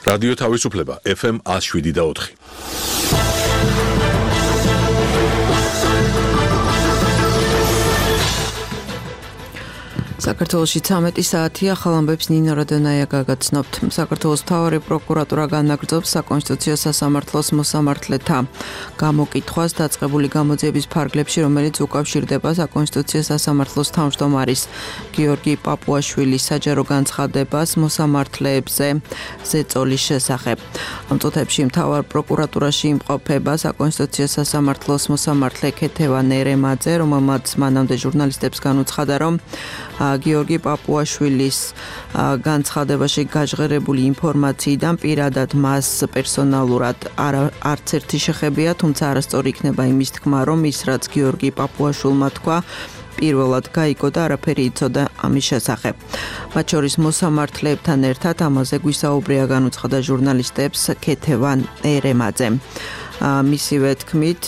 რადიო თავისუფლება FM 107.4. საქართველოში 13 საათია, ახალ ამბებს ნინო რადონაია გაგაცნობთ. საქართველოს მთავარი პროკურატურა განაგრძობს საკონსტიტუციო სასამართლოს მოსამართლეთა გამოკითხვას დაწყებული გამოძიების ფარგლებში, რომელიც უკავშირდება საკონსტიტუციო სასამართლოს თავმჯდომარის გიორგი პაპუაშვილის საჯარო განცხადებას მოსამართლეებზე ზეწოლის შესახებ. ამ წუთებში მთავარ პროკურატურაში იმყოფება საკონსტიტუციო სასამართლოს მოსამართლე ქეთევან ერემაძე, რომელმაც მანამდე ჟურნალისტებს განუცხადა, რომ გიორგი პაპუაშვილის განცხადებაში გაჟღერებული ინფორმაციიდან პირადად მას პერსონალურად არც ერთი შეხებია, თუმცა არასწორი იქნება იმის თქმა, რომ ის რაც გიორგი პაპუაშვილმა თქვა, პირველად გაიგო და არაფერი იცოდა ამის შესახებ. მათ შორის მოსამართლეებთან ერთად ამაზე გვისაუბრია განუცხადა ჟურნალისტებს ქეთევან ერემაძე. მისივე თქმით,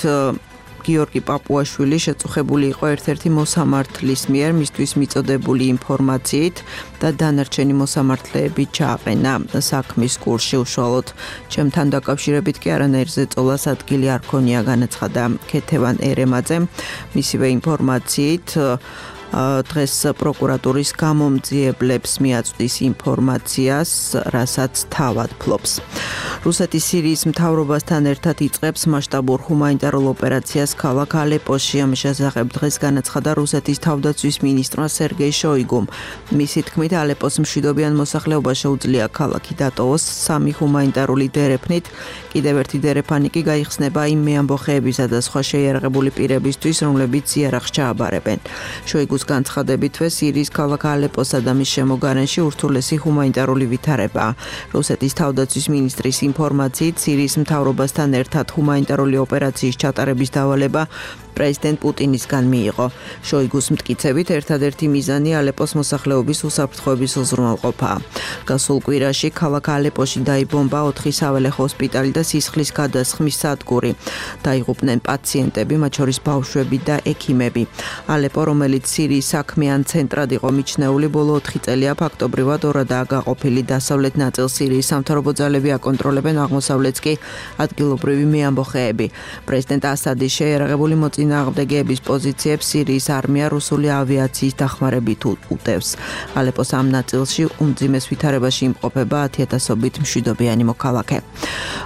გიორგი პაპუაშვილი შეწუხებული იყო ერთ-ერთი მოსამართლის მიერ მისთვის მიწოდებული ინფორმაციით და დანარჩენი მოსამართლეები ჩააყენა საქმის კურსში უშუალოდ. ჩემთან დაკავშირებით კი არანაირ ზეწოლას ადგილი არ ქონია, განაცხადა ქეთევან ერემაძე. მისივე ინფორმაციით დღეს პროკურატურის გამომძიებლებს მიაწვდის ინფორმაციას, რასაც თავად ფლობს. რუსეთის სირიის მთავრობასთან ერთად იწყებს მასშტაბურ ჰუმანიტარულ ოპერაციას ქალაქ ალეპოში. ამის შესახებ დღეს განაცხადა რუსეთის თავდაცვის მინისტრმა სერგეი შოიგუმ. მისი თქმით, ალეპოს მშვიდობიან მოსახლეობას შეუძლია ქალაქი დატოვოს 3 ჰუმანიტარული დერეფნით. კიდევ ერთი დერეფანი კი გაიხსნება იმ მეამბოხეებისა და სხვა შეიარაღებული პირებისთვის, რომლებიც იარაღს ჩააბარებენ. შოიგუს განცხადებითვე სირიის ქალაქ ალეპოსა და მის შემოგარენში ურთულესი ჰუმანიტარული ვითარებაა. რუსეთის თავდაცვის მინისტრის ინფორმაციით, სირიის მთავრობასთან ერთად ჰუმანიტარული ოპერაციის ჩატარების დავალება პრეზიდენტ პუტინისგან მიიღო. შოიგუს მტკიცებით, ერთადერთი მიზანი ალეპოს მოსახლეობის უსაფრთხოების უზრუნველყოფაა. გასულ კვირაში ქალაქ ალეპოში დაიბომბა 4 საველე ჰოსპიტალი და სისხლის გადასხმის სადგური. დაიღუპნენ პაციენტები, მათ შორის ბავშვები და ექიმები. ალეპო, რომელიც სირიის საქმიან ცენტრად იყო მიჩნეული, ბოლო 4 წელია ფაქტობრივად ორადაა გაყოფილი. დასავლეთ ნაწილს სირიის სამთავრობო ძალები აკონტროლებენ, აღმოსავლეთს კი ადგილობრივი მეამბოხეები. პრეზიდენტ ასადის შეიარაღებული წინააღმდეგეების პოზიციებს სირიის არმია რუსული ავიაციის დახმარებით უტევს. ალეპოს ამ ნაწილში უმძიმეს ვითარებაში იმყოფება 10,000-ობით მშვიდობიანი მოქალაქე.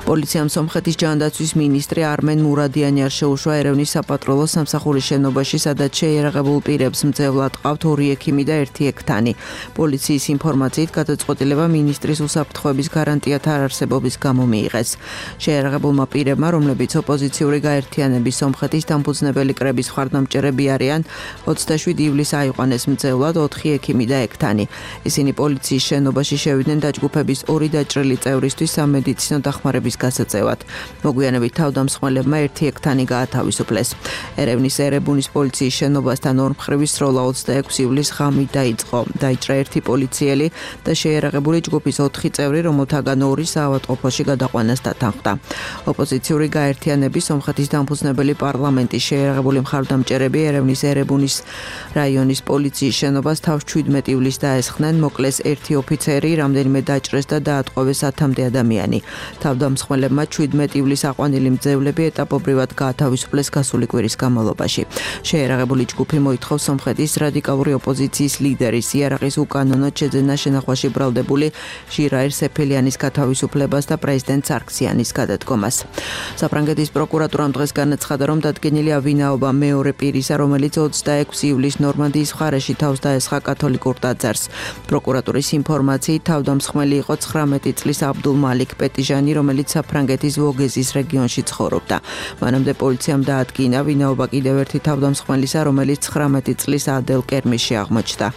პოლიციამ სომხეთის ჯანდაცვის მინისტრი არმენ მურადიანი არ შეუშვა ერევნის საპატრულო სამსახურის შენობაში, სადაც შეიარაღებულ პირებს მძევლად ყავთ 2 ექიმი და 1 ექთანი. პოლიციის ინფორმაციით, გადაწყვეტილება მინისტრის უსაფრთხოების გარანტიათა არარსებობის გამო მიიღეს. შეიარაღებულმა პირებმა, რომლებიც ოპოზიციური გაერთიანების სომხეთის დამფუძნებელი კრების მხარდამჭერები არიან, 27 ივლისს აიყვანეს მძევლად 4 ექიმი და ექთანი. ისინი პოლიციის შენობაში შევიდნენ დაჯგუფების 2 დაჭრილი წევრისთვის სამედიცინო დახმარების გასაწევად. მოგვიანებით თავდამსხმელებმა 1 ექთანი გაათავისუფლეს. ერევნის ერებუნის პოლიციის შენობასთან ორმხრივი სროლა 26 ივლისს ღამით დაიწყო. დაიჭრა 1 პოლიციელი და შეიარაღებული ჯგუფის 4 წევრი, რომელთაგან 2 საავადმყოფოში გადაყვანას დათანხმდა. ოპოზიციური გაერთიანების სომხეთის დამფუძნებელი პარლამენტის შეიარაღებული მხარდამჭერები ერევნის ერებუნის რაიონის პოლიციის შენობას თავს 17 ივლისს დაესხნენ, მოკლეს 1 ოფიცერი, რამდენიმე დაჭრეს და დაატყვევეს 10-მდე ადამიანი. თავდამსხმელებმა 17 ივლისს აყვანილი მძევლები ეტაპობრივად გაათავისუფლეს გასული კვირის განმავლობაში. შეიარაღებული ჯგუფი მოითხოვს სომხეთის რადიკალური ოპოზიციის ლიდერის იარაღის უკანონოდ შეძენა შენახვაში ბრალდებული ჟირაირ სეფელიანის გათავისუფლებას და პრეზიდენტ სარქსიანის გადადგომას. საფრანგეთის პროკურატურამ დღეს განაცხადა, რომ დადგენილია ვინაობა მეორე პირისა, რომელიც 26 ივლისს ნორმანდიის მხარეში თავს დაესხა კათოლიკურ ტაძარს. პროკურატურის ინფორმაციით, თავდამსხმელი იყო 19 წლის აბდულ მალიქ პეტიჟანი, რომელიც საფრანგეთის ვოგეზის რეგიონში ცხოვრობდა. მანამდე პოლიციამ დაადგინა ვინაობა კიდევ ერთი თავდამსხმელისა, რომელიც 19 წლის ადელ კერმიში აღმოჩნდა.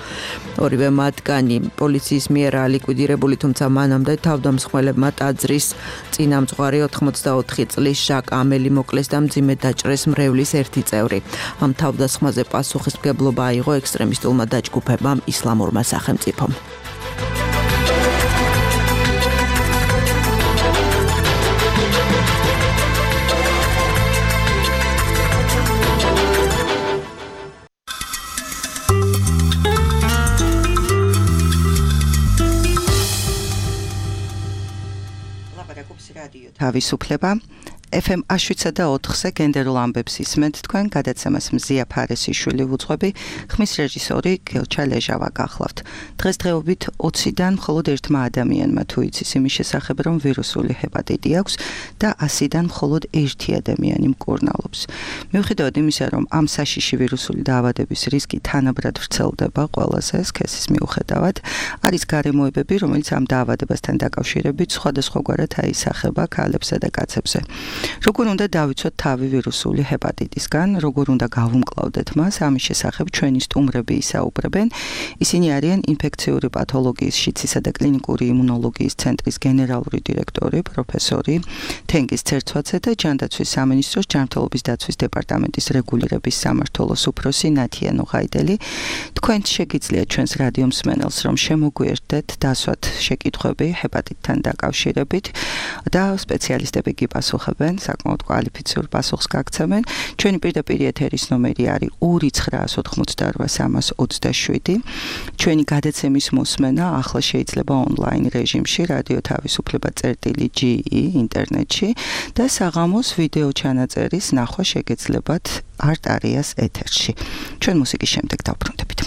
ორივე მათგანი პოლიციის მიერაა ლიკვიდირებული, თუმცა მანამდე თავდამსხმელებმა ტაძრის წინამძღვარი 84 წლის ჟაკ ამელი მოკლეს და მძიმედ დაჭრეს მრევლის 1 წევრი. ამ თავდასხმაზე პასუხისმგებლობა აიღო ექსტრემისტულმა დაჯგუფებამ ისლამურმა სახელმწიფომ. რადიო თავისუფლება FM 107.4-ზე გენდერულ ამბებს ისმენთ თქვენ, გადაცემას მზია ფარესიშვილი ვუძღვები, ხმის რეჟისორი გელჩა ლეჟავა გახლავთ. დღესდღეობით 20-დან მხოლოდ ერთმა ადამიანმა თუ იცის იმის შესახებ, რომ ვირუსული ჰეპატიტი აქვს და 100-დან მხოლოდ ერთი ადამიანი მკურნალობს. მიუხედავად იმისა, რომ ამ საშიში ვირუსული დაავადების რისკი თანაბრად ვრცელდება ყველაზე სქესის მიუხედავად, არის გარემოებები, რომელიც ამ დაავადებასთან დაკავშირებით სხვადასხვაგვარად აისახება ქალებსა და კაცებზე. Როგორ უნდა დავიცვათ თავი ვირუსული ჰეპატიტისგან, როგორ უნდა გავუმკლავდეთ მას, ამის შესახებ ჩვენი სტუმრები ისაუბრებენ. ისინი არიან ინფექციური პათოლოგიის, შიცისა და კლინიკური იმუნოლოგიის ცენტრის გენერალური დირექტორი, პროფესორი თენგიზ ცერცვაძე და ჯანდაცვის სამინისტროს ჯანმრთელობის დაცვის დეპარტამენტის რეგულირების სამმართველოს უფროსი ნათია ნუღაიდელი. თქვენ შეგიძლიათ ჩვენს რადიო მსმენელს რომ შემოგვიერთდეთ, დასვათ შეკითხვები ჰეპატიტთან დაკავშირებით და სპეციალისტები გიპასუხებენ. საკმაოდ კვალიფიციურ პასუხს გაგცემენ. ჩვენი პირდაპირ ეთერის ნომერი არის 2988327. ჩვენი გადაცემის მოსმენა ახლა შეიძლება ონლაინ რეჟიმში, რადიო თავისუფლება.ge ინტერნეტში და საღამოს ვიდეო ჩანაწერის ნახვა შეგეძლებათ არტარიას ეთერში. ჩვენ მუსიკის შემდეგ დავბრუნდებით.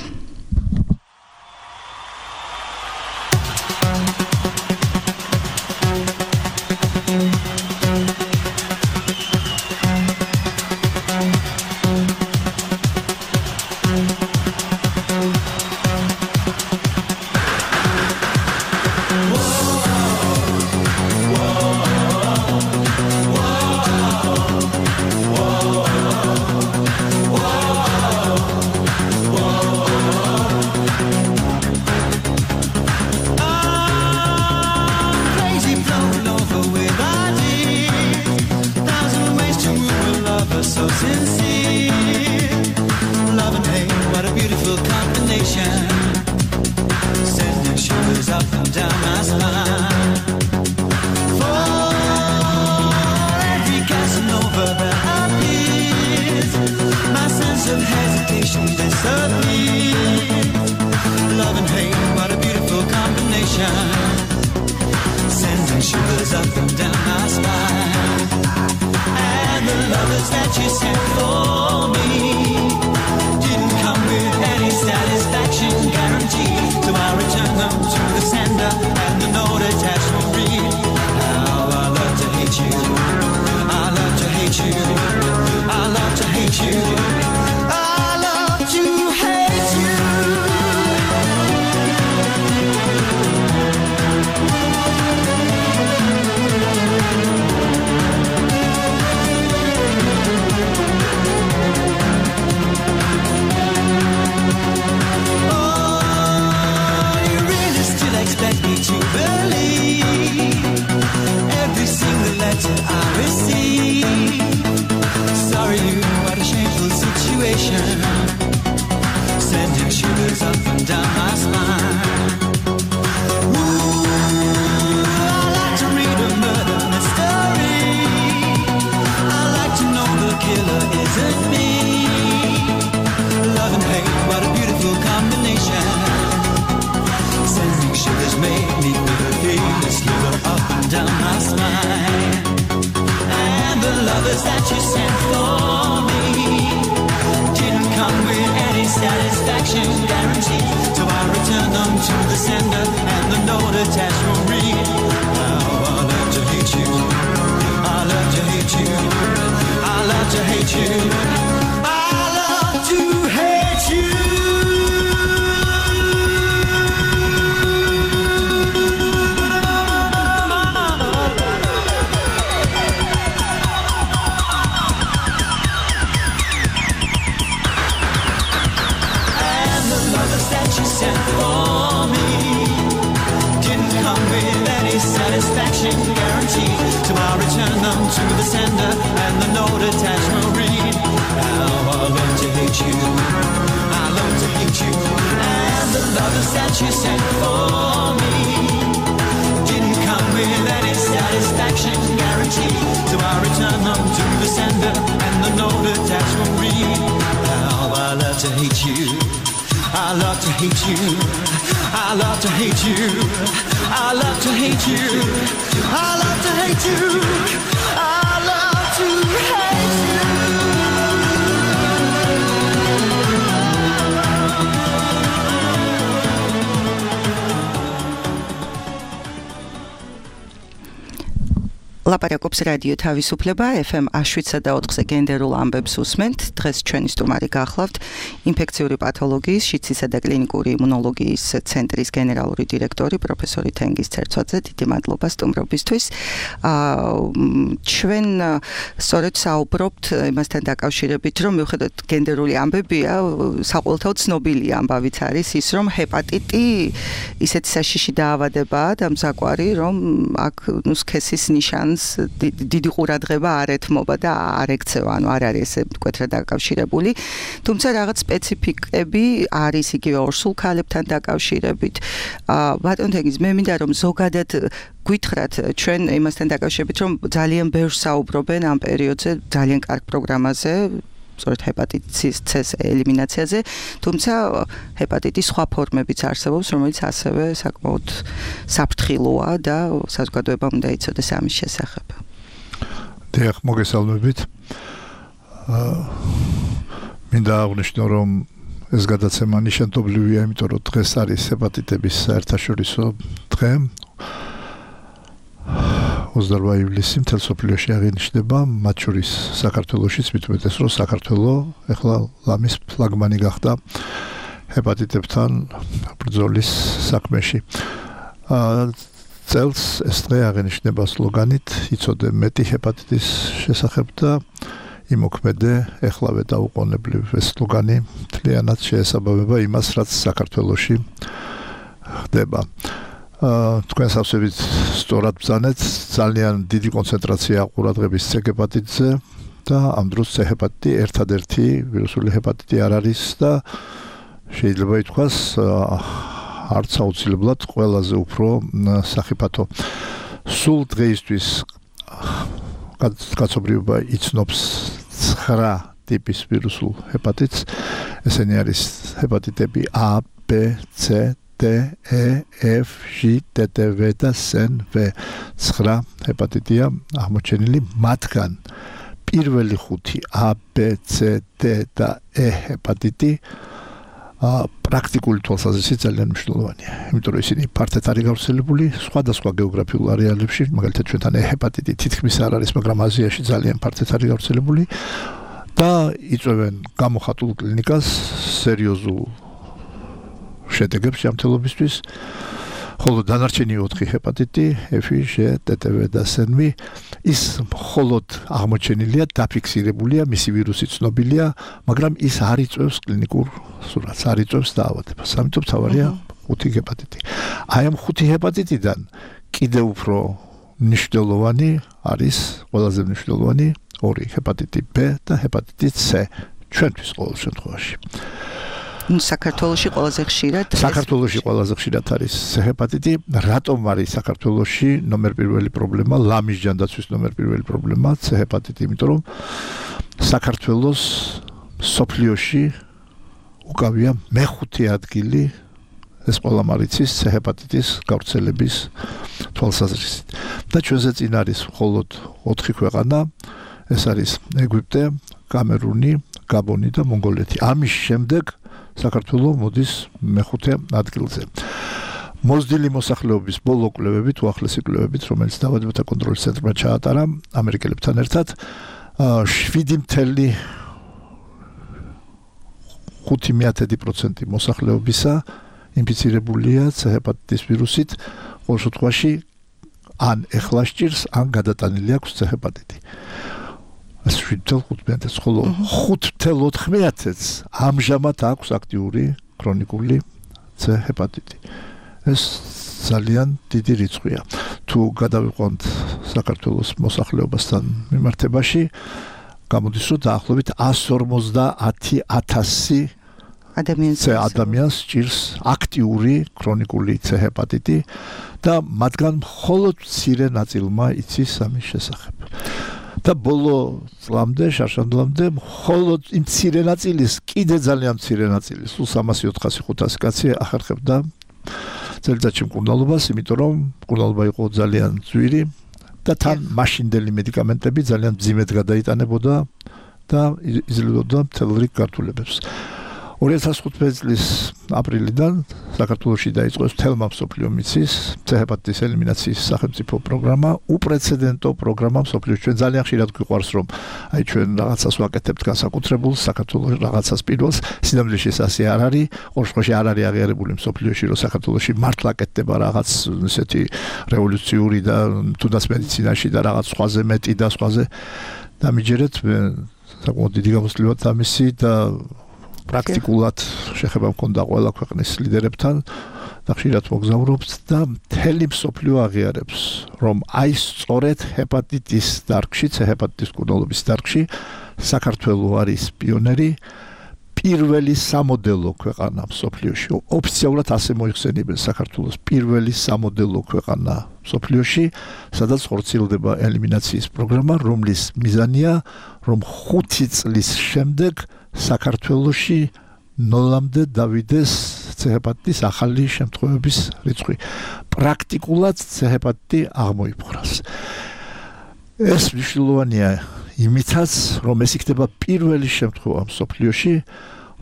I love to hate you. I love to hate you. I love to hate you. I love to hate you. ლაპარაკობს რადიო თავისუფლება FM 107.4-ზე გენდერულ ამბებს უსმენთ. დღეს ჩვენი სტუმარი გახლავთ ინფექციური პათოლოგიის, შიდსისა და კლინიკური იმუნოლოგიის ცენტრის გენერალური დირექტორი პროფესორი თენგიზ ცერცვაძე. დიდი მადლობა სტუმრობისთვის. ჩვენ სწორედ საუბრობთ იმასთან დაკავშირებით, რომ მიუხედავად გენდერული ამბებია, საყოველთაოდ ცნობილი ამბავიც არის ის, რომ ჰეპატიტი ისეთი საშიში დაავადებაა და მზაკვარი, რომ აქ სქესის ნიშანს დიდი ყურადღება არ ეთმობა და არ ექცევა, ანუ არ არის ესე მკვეთრად დაკავშირებული. თუმცა რაღაც სპეციფიკები არის იგივე ორსულ ქალებთან დაკავშირებით. ბატონ თენგიზ, მე მინდა რომ ზოგადად გითხრათ ჩვენ იმასთან დაკავშირებით, რომ ძალიან ბევრს საუბრობენ ამ პერიოდზე ძალიან კარგ პროგრამაზე, სწორედ ჰეპატიტის C-ს ელიმინაციაზე, თუმცა ჰეპატიტის სხვა ფორმებიც არსებობს, რომელიც ასევე საკმაოდ საფრთხილოა და საზოგადოებამ უნდა იცოდეს ამის შესახებ. დიახ, მოგესალმებით. მინდა აღვნიშნო, რომ ეს გადაცემა ნიშანდობლივია, იმიტომ რომ დღეს არის ჰეპატიტების საერთაშორისო დღე. 28 ივლისი მთელ მსოფლიოში აღინიშნება, მათ შორის საქართველოშიც, მით უმეტეს, რომ საქართველო ეხლა ლამის ფლაგმანი გახდა ჰეპატიტებთან ბრძოლის საქმეში. წელს ეს დღე აღინიშნება სლოგანით "იცოდე მეტი ჰეპატიტის შესახებ და იმოქმედე ეხლავე დაუყოვნებლივ". ეს სლოგანი მთლიანად შეესაბამება იმას, რაც საქართველოში ხდება. თქვენ სავსებით სწორად ბრძანეთ, ძალიან დიდი კონცენტრაცია ყურადღების C ჰეპატიტზე და ამ დროს C ჰეპატიტი ერთადერთი ვირუსული ჰეპატიტი არ არის და შეიძლება ითქვას არც აუცილებლად ყველაზე უფრო სახიფათო. სულ დღეისთვის კაცობრიობა იცნობს 9 ტიპის ვირუსულ ჰეპატიტს. ესენი არის ჰეპატიტები A, B, C, D, E, F, G, T, V და SN, V. 9 ჰეპატიტია აღმოჩენილი, მათგან პირველი 5 A, B, C, D და E ჰეპატიტი პრაქტიკული თვალსაზრისით ძალიან მნიშვნელოვანია. იმიტომ რომ ისინი ფართედ არის გავრცელებული სხვადასხვა გეოგრაფიულ არეალებში, მაგალითად ჩვენთან E ჰეპატიტი თითქმის არ არის, მაგრამ აზიაში ძალიან ფართედ არის გავრცელებული და იწვევენ გამოხატულ კლინიკას, სერიოზულ შედეგებს ჯანმრთელობისთვის, ხოლო დანარჩენი 4 ჰეპატიტი, F, G, T, V და SN, ის მხოლოდ აღმოჩენილია, დაფიქსირებულია, მისი ვირუსი ცნობილია, მაგრამ ის არ იწვევს კლინიკურ სურათს, არ იწვევს დაავადებას. ამიტომ თავარია 5 ჰეპატიტი. აი ამ 5 ჰეპატიტიდან კიდევ უფრო მნიშვნელოვანი არის, ყველაზე მნიშვნელოვანი 2 ჰეპატიტი B და ჰეპატიტი C ჩვენთვის ყოველ შემთხვევაში. საქართველოში ყველაზე ხშირად არის ჰეპატიტი. რატომ არის საქართველოში ნომერ პირველი პრობლემა, ლამის ჯანდაცვის ნომერ პირველი პრობლემა C ჰეპატიტი, იმიტომ რომ საქართველოს სოფლიოში უკავია მე-5 ადგილი ეს ყველა მარიცის C ჰეპატიტის გავრცელების თვალსაზრისით. და ჩვენზე წინ არის მხოლოდ 4 ქვეყანა, ეს არის ეგვიპტე, კამერუნი, გაბონი და მონღოლეთი. ამის შემდეგ საქართველო მოდის მე-5 ადგილზე. მოზრდილი მოსახლეობის ბოლო კვლევებით, უახლესი კვლევებით, რომელიც დაავადებათა კონტროლის ცენტრმა ჩაატარა ამერიკელებთან ერთად, 7.5% მოსახლეობისა ინფიცირებულია C ჰეპატიტის ვირუსით, ყოველ შემთხვევაში ან ეხლა სჭირს, ან გადატანილი აქვს C ჰეპატიტი. 7.5%, ხოლო 5.4%-ს ამჟამად აქვს აქტიური ქრონიკული C ჰეპატიტი. ეს ძალიან დიდი რიცხვია. თუ გადავიყვანთ საქართველოს მოსახლეობასთან მიმართებაში, გამოდის, რომ დაახლოებით 150,000 ადამიანს სჭირს აქტიური ქრონიკული C ჰეპატიტი და მათგან მხოლოდ მცირე ნაწილმა იცის ამის შესახებ. და ბოლო წლამდე, შარშანდლამდე, მხოლოდ იმ მცირე ნაწილის, კიდე ძალიან მცირე ნაწილის, 300-400-500 კაცი ახერხებდა C წელიწადში მკურნალობას, იმიტომ რომ მკურნალობა იყო ძალიან ძვირი და თან მაშინდელი მედიკამენტები ძალიან მძიმედ გადაიტანებოდა და იძლებოდა მთელ რიგ გართულებებს. 2015 წლის აპრილიდან საქართველოში დაიწყო თელმა მსოფლიო მიცის ჰეპატიტის ელიმინაციის სახელმწიფო პროგრამა, უპრეცედენტო პროგრამა მსოფლიოში. ჩვენ ძალიან ხშირად გვიყვარს რომ აი ჩვენ რაღაცას ვაკეთებთ განსაკუთრებულს, საქართველოს რაღაცას პირველს, სინამდვილეში ეს ასე არ არის, ორშოში არ არის აღიარებული მსოფლიოში, რომ საქართველოში მართლა კეთდება რაღაც ესეთი რევოლუციური და თუნდაც მედიცინაში და რაღაც სხვაზე მეტი და სხვაზე დამიჯერეთ, საკმაოდ დიდი გამოსვლივად ამისი და პრაქტიკულად შეხება მქონდა ყველა ქვეყნის ლიდერებთან და ხშირად მოგზაურობთ და მთელი მსოფლიო აღიარებს, რომ აი სწორედ ჰეპატიტის დარგში, ჰეპატიტის მკურნალობის დარგში საქართველო არის პიონერი, პირველი სამოდელო ქვეყანა მსოფლიოში. ოფიციალურად ასე მოიხსენიებენ საქართველოს პირველი სამოდელო ქვეყანა მსოფლიოში, სადაც ხორციელდება ელიმინაციის პროგრამა, რომლის მიზანია, რომ 5 წლის შემდეგ საქართველოში ნოლამდე დავიდეს ჰეპატიტის ახალი შემთხვევების რიცხვი. პრაქტიკულად ჰეპატიტი აღმოიფხვრას. ეს მნიშვნელოვანია იმითაც, რომ ეს იქნება პირველი შემთხვევა მსოფლიოში,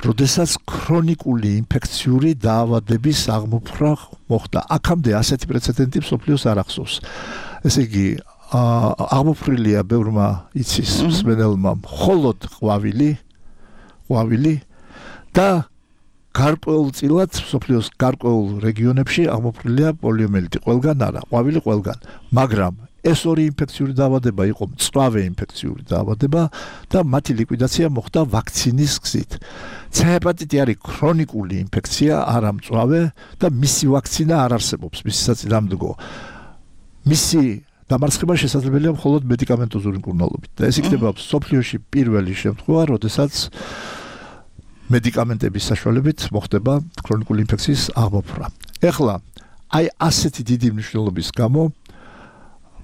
როდესაც ქრონიკული ინფექციური დაავადების აღმოფხვრა მოხდა. აქამდე ასეთი პრეცედენტი მსოფლიოს არ ახსოვს. ესე იგი, აღმოფხვრილია ბევრმა იცის მსმენელმა მხოლოდ ყვავილი და გარკვეულწილად მსოფლიოს გარკვეულ რეგიონებში აღმოფხვრილია პოლიომიელიტი. ყველგან არა, ყვავილი ყველგან, მაგრამ ეს ორი ინფექციური დაავადება იყო მწვავე ინფექციური დაავადება და მათი ლიკვიდაცია მოხდა ვაქცინის გზით. ჰეპატიტი არის ქრონიკული ინფექცია, არა მწვავე და მისი ვაქცინა არ არსებობს, მისი საწინააღმდეგო. მისი დამარცხება შესაძლებელია მხოლოდ მედიკამენტოზური მკურნალობით. და ეს იქნება მსოფლიოში პირველი შემთხვევა, როდესაც მედიკამენტების საშუალებით მოხდება ქრონიკული ინფექციის აღმოფხვრა. ეხლა აი ასეთი დიდი მნიშვნელობის გამო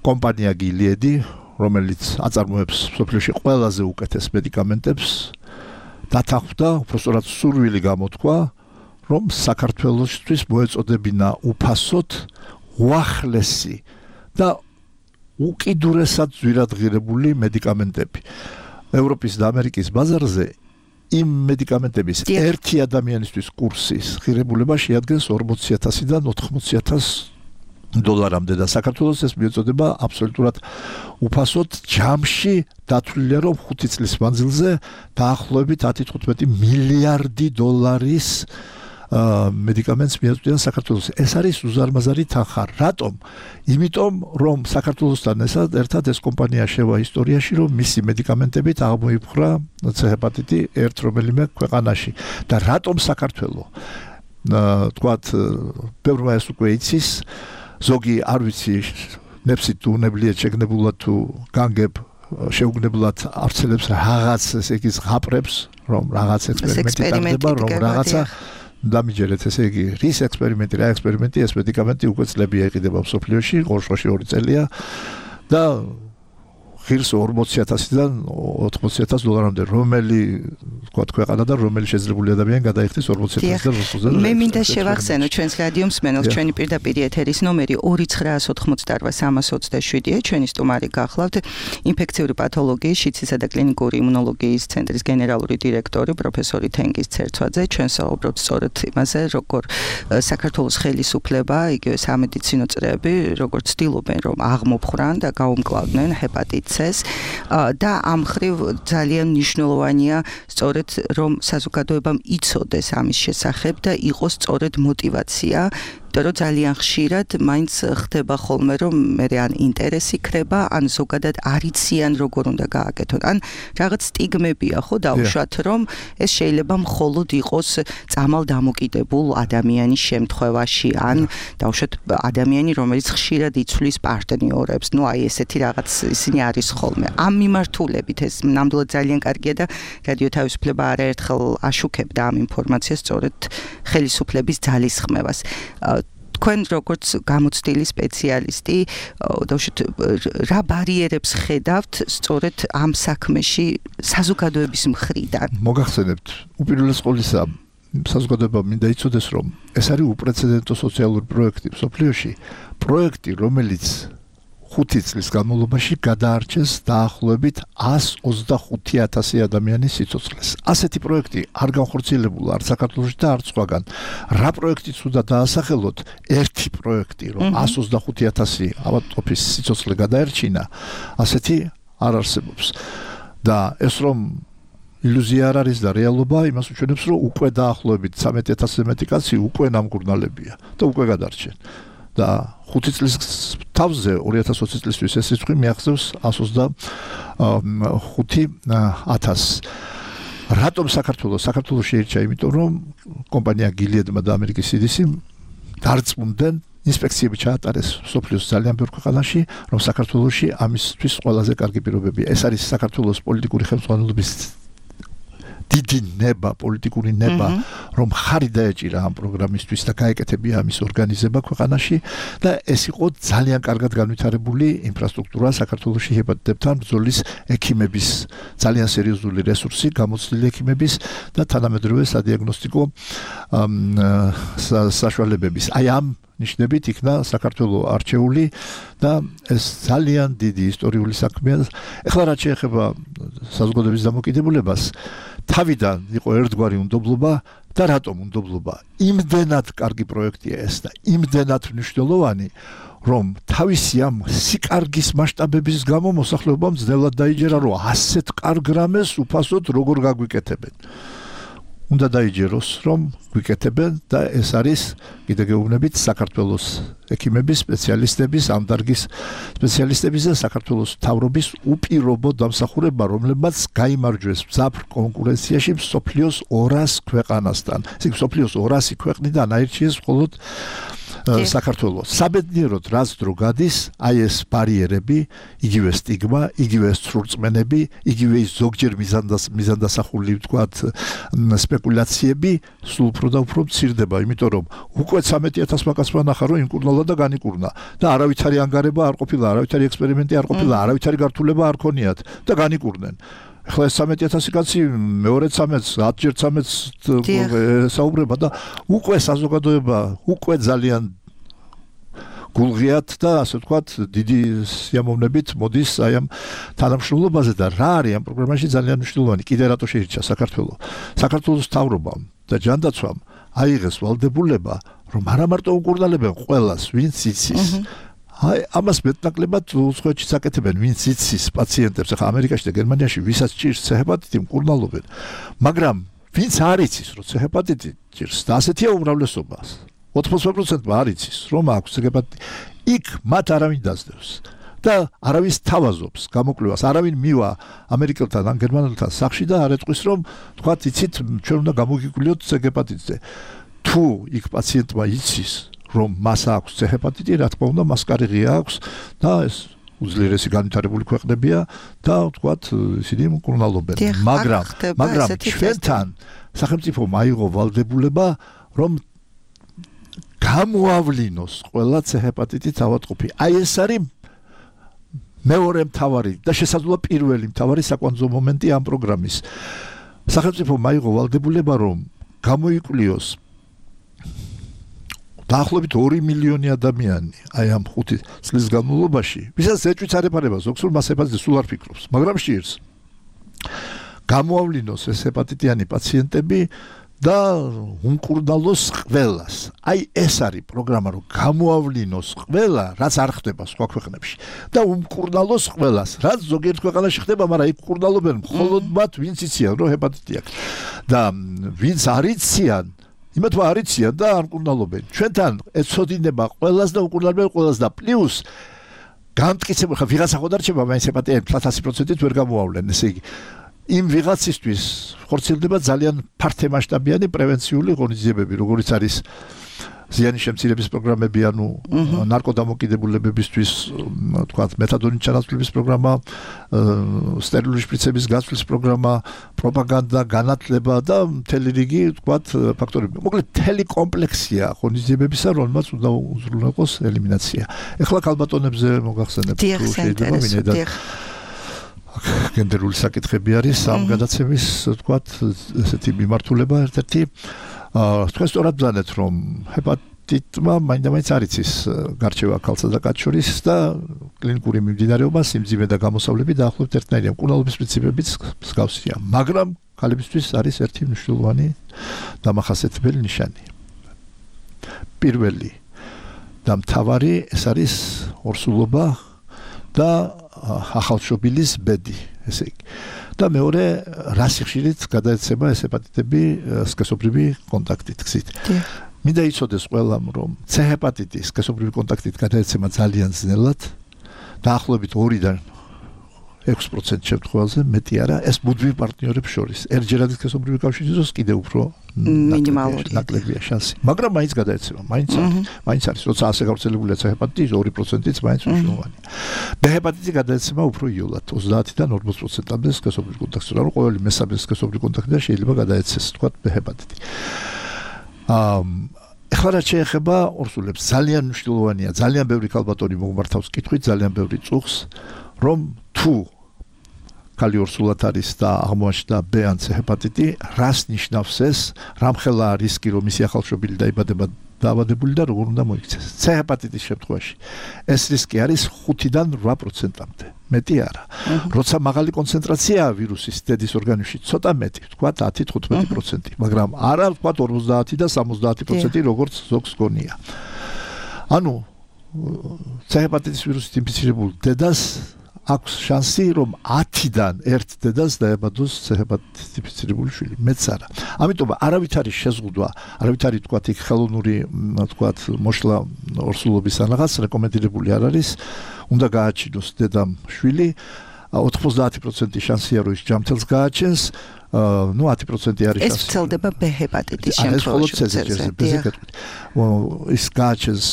კომპანია გილიედი, რომელიც აწარმოებს მსოფლიოში ყველაზე უკეთეს მედიკამენტებს, დათანხმდა, უბრალოდ სურვილი გამოთქვა, რომ საქართველოსთვის მოეწოდებინა უფასოდ უახლესი და უკიდურესად ძვირადღირებული მედიკამენტები. ევროპის და ამერიკის ბაზარზე იმ მედიკამენტების ერთი ადამიანისთვის კურსის ღირებულება შეადგენს 40,000-დან 80,000 დოლარამდე და საქართველოს ეს მიეწოდება აბსოლუტურად უფასოდ. ჯამში დათვლილია, რომ 5 წლის მანძილზე დაახლოებით 10-15 მილიარდი დოლარის მედიკამენტს მიაწვდიან საქართველოს. ეს არის უზარმაზარი თანხა. რატომ? იმიტომ, რომ საქართველოსთან ერთად ეს კომპანია შევა ისტორიაში, რომ მისი მედიკამენტებით აღმოიფხვრა ჰეპატიტი ერთ რომელიმე ქვეყანაში. და რატომ საქართველო? თქვათ, ბევრმა ეს უკვე იცის, ზოგი არ ვიცი, ნებსით თუ უნებლიეთ შეგნებულად თუ განგებ შეუგნებლად არცელებს რაღაც ესე იგი ზღაპრებს, რომ რაღაც ექსპერიმენტი ტარდება, რომ რაღაცა დამიჯერეთ, ესე იგი, რის ექსპერიმენტი, რა ექსპერიმენტი, ეს მედიკამენტი უკვე წლებია იყიდება მსოფლიოში, ორშოში 2 წელია და ღირს 40,000-დან 80,000 დოლარამდე, რომელი თქვა ქვეყანა და რომელი შეძლებული ადამიანი გადაიხდის 40,000-დან 80,000. მე მინდა შევახსენო ჩვენს რადიო მსმენელს, ჩვენი პირდაპირ ეთერის ნომერი 2988-327-ია, ჩვენი სტუმარი გახლავთ ინფექციური პათოლოგიის, შიცისა და კლინიკური იმუნოლოგიის ცენტრის გენერალური დირექტორი პროფესორი თენგიზ ცერცვაძე. ჩვენ საუბრობთ სწორედ იმაზე, როგორ საქართველოს ხელისუფლება, იგივე სამედიცინო წრეები, როგორ ცდილობენ რომ აღმოფხვრან და გაუმკლავდნენ ჰეპატიტს და ამ ხრივ ძალიან მნიშვნელოვანია სწორედ რომ საზოგადოებამ იცოდეს ამის შესახებ და იყოს სწორედ мотиваცია, იმიტომ რომ ძალიან ხშირად მაინც ხდება ხოლმე რომ მე ან ინტერესი ქრება, ან ზოგადად არიციან როგორ უნდა გააკეთონ, ან რაღაც სტიგმებია ხო დავუშვათ რომ ეს შეიძლება მხოლოდ იყოს წამალ დამოკიდებულ ადამიანის შემთხვევაში, ან დავუშვათ ადამიანი რომელიც ხშირად იცვლის პარტნიორებს, ну აი ესეთი რაღაც ისინი არის ხოლმე. ამ მიმართულებით ეს ნამდვილად ძალიან კარგია და რადიო თავისუფლება არაერთხელ აშუქებდა ამ ინფორმაციას სწორედ ხელისუფლების ძალისხმევას. თქვენ როგორც გამოცდილი სპეციალისტი, დავუშვათ რა ბარიერებს ხედავთ სწორედ ამ საქმეში საზოგადოების მხრიდან? მოგახსენებთ, უპირველეს ყოვლისა საზოგადოება მინდა იცოდეს, რომ ეს არის უპრეცედენტო სოციალური პროექტი მსოფლიოში, პროექტი, რომელიც 5 წლის განმავლობაში გადაარჩენს დაახლოებით 125,000 ადამიანის სიცოცხლეს. ასეთი პროექტი არ განხორციელებულა არც საქართველოში და არც სხვაგან. რა პროექტიც უნდა დაასახელოთ, ერთი პროექტი, რომ 125,000 ავადმყოფის სიცოცხლე გადაერჩინა, ასეთი არ არსებობს. და ეს რომ ილუზია არ არის და რეალობა იმას უჩვენებს, რომ უკვე დაახლოებით 13,000-ზე მეტი კაცი უკვე ნამგურნალებია და უკვე გადარჩენ. და 5 წლის თავზე 2020 წლისთვის ეს რიცხვი მიაღწევს 125,000. რატომ საქართველოს შეირჩა, იმიტომ რომ კომპანია Gilead-მა და ამერიკის CDC დარწმუნდნენ ინსპექციები ჩაატარეს სოფლიოს ძალიან ბევრ ქვეყანაში, რომ საქართველოში ამისთვის ყველაზე კარგი პირობებია. ეს არის საქართველოს პოლიტიკური ხელმძღვანელობის დიდი ნება, პოლიტიკური ნება, რომ ხარი დაეჭირა ამ პროგრამისთვის და გაეკეთებია ამის ორგანიზება ქვეყანაში და ეს იყო ძალიან კარგად განვითარებული ინფრასტრუქტურა საქართველოში ჰეპატიტებთან ბრძოლის ექიმების ძალიან სერიოზული რესურსი, გამოცდილი ექიმების და თანამედროვე სადიაგნოსტიკო საშუალებების. აი ამ ნიშნებით იქნა საქართველოს არჩეული და ეს ძალიან დიდი ისტორიული საქმეა. ეხლა რაც შეეხება საზოგადოების დამოკიდებულებას, თავიდან იყო ერთგვარი უნდობლობა და რატომ უნდობლობა? იმდენად კარგი პროექტია ეს და იმდენად მნიშვნელოვანი, რომ თავისი ამ სიკარგის მასშტაბების გამო მოსახლეობამ ძნელად დაიჯერა, რომ ასეთ კარგ რამეს უფასოდ როგორ გაგვიკეთებენ. უნდა დაიჯეროს, რომ გვიკეთებენ და ეს არის კიდე გეუბნებით საქართველოს ექიმების, სპეციალისტების, ამ დარგის სპეციალისტების და საქართველოს მთავრობის უპირობო დამსახურება, რომლებმაც გაიმარჯვეს მძაფრ კონკურენციაში მსოფლიოს 200 ქვეყანასთან. ისე მსოფლიოს 200 ქვეყნიდან აირჩიეს მხოლოდ საქართველოს. საბედნიეროდ რაც დრო გადის, აი ეს ბარიერები, იგივე სტიგმა, იგივე ცრურწმენები, იგივე ის ზოგჯერ მიზანდასახული ვთქვათ სპეკულაციები სულ უფრო და უფრო მცირდება, იმიტომ რომ უკვე 13,000 მაკაცმა ნახა, რომ იმკურნალა და განიკურნა და არავითარი ანგარება არ ყოფილა, არავითარი ექსპერიმენტი არ ყოფილა, არავითარი გართულება არ ქონიათ და განიკურნენ. ახლა 13,000 კაცი მეორე 13-ს, 10-ჯერ 13-ს საუბრება და უკვე საზოგადოება უკვე ძალიან გულღიათ და ასე ვთქვათ დიდი სიამოვნებით მოდის აი ამ თანამშრომლობაზე და რა არის ამ პროგრამაში ძალიან მნიშვნელოვანი. კიდე რატო შეირჩა საქართველოს მთავრობამ და ჯანდაცვამ აიღეს ვალდებულება, რომ არა მარტო უკურნალებენ ყველას, ვინც იცის. აი ამას მეტნაკლებად უცხოეთშიც აკეთებენ, ვინც იცის პაციენტებს, ახლა ამერიკაში და გერმანიაში ვისაც ჭირს ჰეპატიტი მკურნალობენ, მაგრამ ვინც არ იცის, რომ ჰეპატიტი ჭირს და ასეთია უმრავლესობა. 80% არ იცის, რომ აქვს ჰეპატიტი. იქ მათ არავინ დასდევს და არავის თავაზობს გამოკვლევას, არავინ მივა ამერიკელთან ან გერმანელთან სახში და არ ეტყვის, რომ თქვათ იცით, ჩვენ უნდა გამოგიკვლიოთ ჰეპატიტზე. თუ იქ პაციენტმა იცის, რომ მას აქვს ჰეპატიტი, რა თქმა უნდა, მას კარი ღია აქვს და ეს უძლიერესი განვითარებული ქვეყნებია და ვთქვათ, ისინი მკურნალობენ. მაგრამ ჩვენთან სახელმწიფომ აიღო ვალდებულება, რომ გამოავლინოს ყველა ჰეპატიტით ავადმყოფი. აი ეს არის მეორე მთავარი და შესაძლოა პირველი მთავარი საკვანძო მომენტი ამ პროგრამის. სახელმწიფომ აიღო ვალდებულება, რომ გამოიკვლიოს დაახლოებით 2 მილიონი ადამიანი აი ამ 5 წლის განმავლობაში, ვისაც ეჭვიც არ ეპარება, ზოგს მას ჰეპატიტი სულ არ ფიქრობს, მაგრამ შეირს გამოავლინოს ეს ჰეპატიტიანი პაციენტები და უმკურნალოს ყველას. აი ეს არის პროგრამა, რომ გამოავლინოს ყველა, რაც არ ხდება სხვა ქვეყნებში და უმკურნალოს ყველას, რაც ზოგიერთ ქვეყანაში ხდება, მაგრამ იქ მკურნალობენ მხოლოდ მათ, ვინც იციან, რომ ჰეპატიტი აქვს და ვინც არ იციან, იმათმა არ იციან და არ მკურნალობენ. ჩვენთან ეცოდინება ყველას და უკურნალობენ ყველას და პლუს გამტკიცებული ხა ვიღაცა ხო დარჩება, მაინც ჰეპატიტი 100%-ით ვერ გამოავლენ, ესე იგი იმ ვიღაცისთვის ხორციელდება ძალიან ფართემასშტაბიანი პრევენციული ღონისძიებები, როგორიც არის ზიანის შემცირების პროგრამები, ანუ ნარკოდამოკიდებულებებისთვის, თქვათ, მეთადონის ჩანაცვლების პროგრამა, სტერილური შპრიცების გაცვლის პროგრამა, პროპაგანდა, განათლება და მთელი რიგი, თქვათ, ფაქტორები. მოკლედ, მთელი კომპლექსია ღონისძიებებისა, რომელმაც უნდა უზრუნველყოს ელიმინაცია. ეხლა ქალბატონებზე მოგახსენებთ, თუ შეიძლება მინედათ გენდერული საკითხები არის ამ გადაცემის, თქვათ, ესეთი მიმართულება ერთ-ერთი თქვენ სწორად ბრძანეთ, რომ ჰეპატიტმა მაინდა-მაინც არ იცის გარჩევა ქალსა და კაცს შორის და კლინიკური მიმდინარეობა, სიმძიმე და გამოსავლები დაახლოებით ერთნაირია. მკურნალობის პრინციპებიც მსგავსია, მაგრამ ქალებისთვის არის ერთი მნიშვნელოვანი დამახასიათებელი ნიშანი. პირველი და მთავარი ეს არის ორსულობა და ახალშობილის ბედი, ესე იგი. და მეორე რა სიხშირით გადაეცემა ეს ჰეპატიტები სქესობრივი კონტაქტით გზით. მინდა იცოდეს ყველამ, რომ C ჰეპატიტი სქესობრივი კონტაქტით გადაეცემა ძალიან ძნელად, დაახლოებით 2-დან 6% შემთხვევაზე, მეტი არა, ეს მუდმივ პარტნიორებს შორის. ერთჯერადი სქესობრივი კავშირი იყოს კიდევ უფრო მინიმალური ნაკლებია შანსი. მაგრამ მაინც გადაეცემა, მაინც არის, როცა ასე გავრცელებულია C ჰეპატიტი, 2%-იც მაინც მნიშვნელოვანია. B ჰეპატიტი გადაეცემა უფრო იოლად, 30-დან 40%-მდე სქესობრივი კონტაქტი, რა რომ ყოველი მესამე სქესობრივი კონტაქტიდან შეიძლება გადაეცეს, თქვათ, B ჰეპატიტი. ეხლა რაც შეეხება ორსულებს, ძალიან მნიშვნელოვანია, ძალიან ბევრი ქალბატონი მოგმართავს კითხვით, ძალიან ბევრი წუხს, რომ თუ ქალი ორსულად არის და აღმოაჩნდა B ან C ჰეპატიტი, რას ნიშნავს ეს, რამხელა რისკი, რომ ისი ახალშობილი დაიბადება დაავადებული და როგორ უნდა მოიქცეს. C ჰეპატიტის შემთხვევაში ეს რისკი არის 5-დან 8%-მდე, მეტი არა. როცა მაღალი კონცენტრაციაა ვირუსის დედის ორგანიზმში, ცოტა მეტი, ვთქვათ 10-15%, მაგრამ არა ვთქვათ 50 და 70%, როგორც ზოგს გონია. ანუ C ჰეპატიტის ვირუსით ინფიცირებულ დედას აქვს შანსი, რომ 10-დან 1 დედას დაებადოს C ჰეპატიტით ინფიცირებული შვილი, მეც არა. ამიტომ არავით არის შეზღუდვა, არავით არის თქვათ იქ ხელოვნური, თქვათ მოშლა ორსულობის ან რაღაც რეკომენდირებული არ არის, უნდა გააჩინოს დედამ შვილი, 90% შანსია, რომ ის ჯამთელს გააჩენს, 10% არის შანსი. ეს ვრცელდება B ჰეპატიტის შემთხვევაში. ის გააჩენს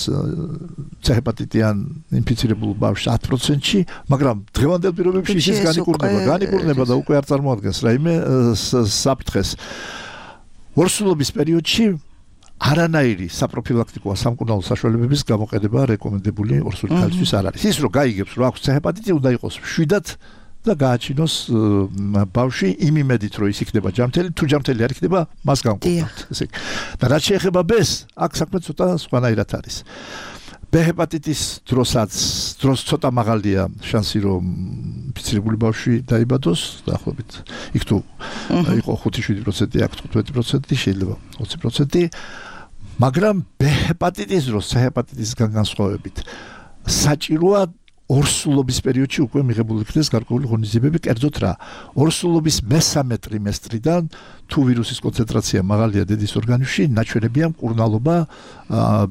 C ჰეპატიტიან ინფიცირებულ ბავშვს 10%-ში, მაგრამ დღევანდელ პირობებში ის განიკურნება და უკვე არ წარმოადგენს რაიმე საფრთხეს. ორსულობის პერიოდში არანაირი საპროფილაქტიკო სამკურნალო საშუალებების გამოყენება რეკომენდებული ორსული ქალისთვის არ არის. ის რომ გაიგებს, რომ აქვს C ჰეპატიტი, უნდა იყოს მშვიდად და გააჩინოს ბავშვი იმ იმედით, რომ ის იქნება ჯამთელი, თუ ჯამთელი არ იქნება, მას განკურნავთ. ესე იგი. და რაც შეეხება B-ს, აქ საქმე ცოტა სხვანაირად არის. B ჰეპატიტის დროს ცოტა მაღალია შანსი, რომ ინფიცირებული ბავშვი დაიბადოს, დაახლოებით იქ თუ იყო 5-7%, აქ 15%, შეიძლება 20%, მაგრამ B ჰეპატიტის დროს C ჰეპატიტისგან განსხვავებით საჭიროა ორსულობის პერიოდში უკვე მიღებული იქნეს გარკვეული ღონისძიებები, კერძოდ რა, ორსულობის მესამე ტრიმესტრიდან თუ ვირუსის კონცენტრაცია მაღალია დედის ორგანიზმში, ნაჩვენებია მკურნალობა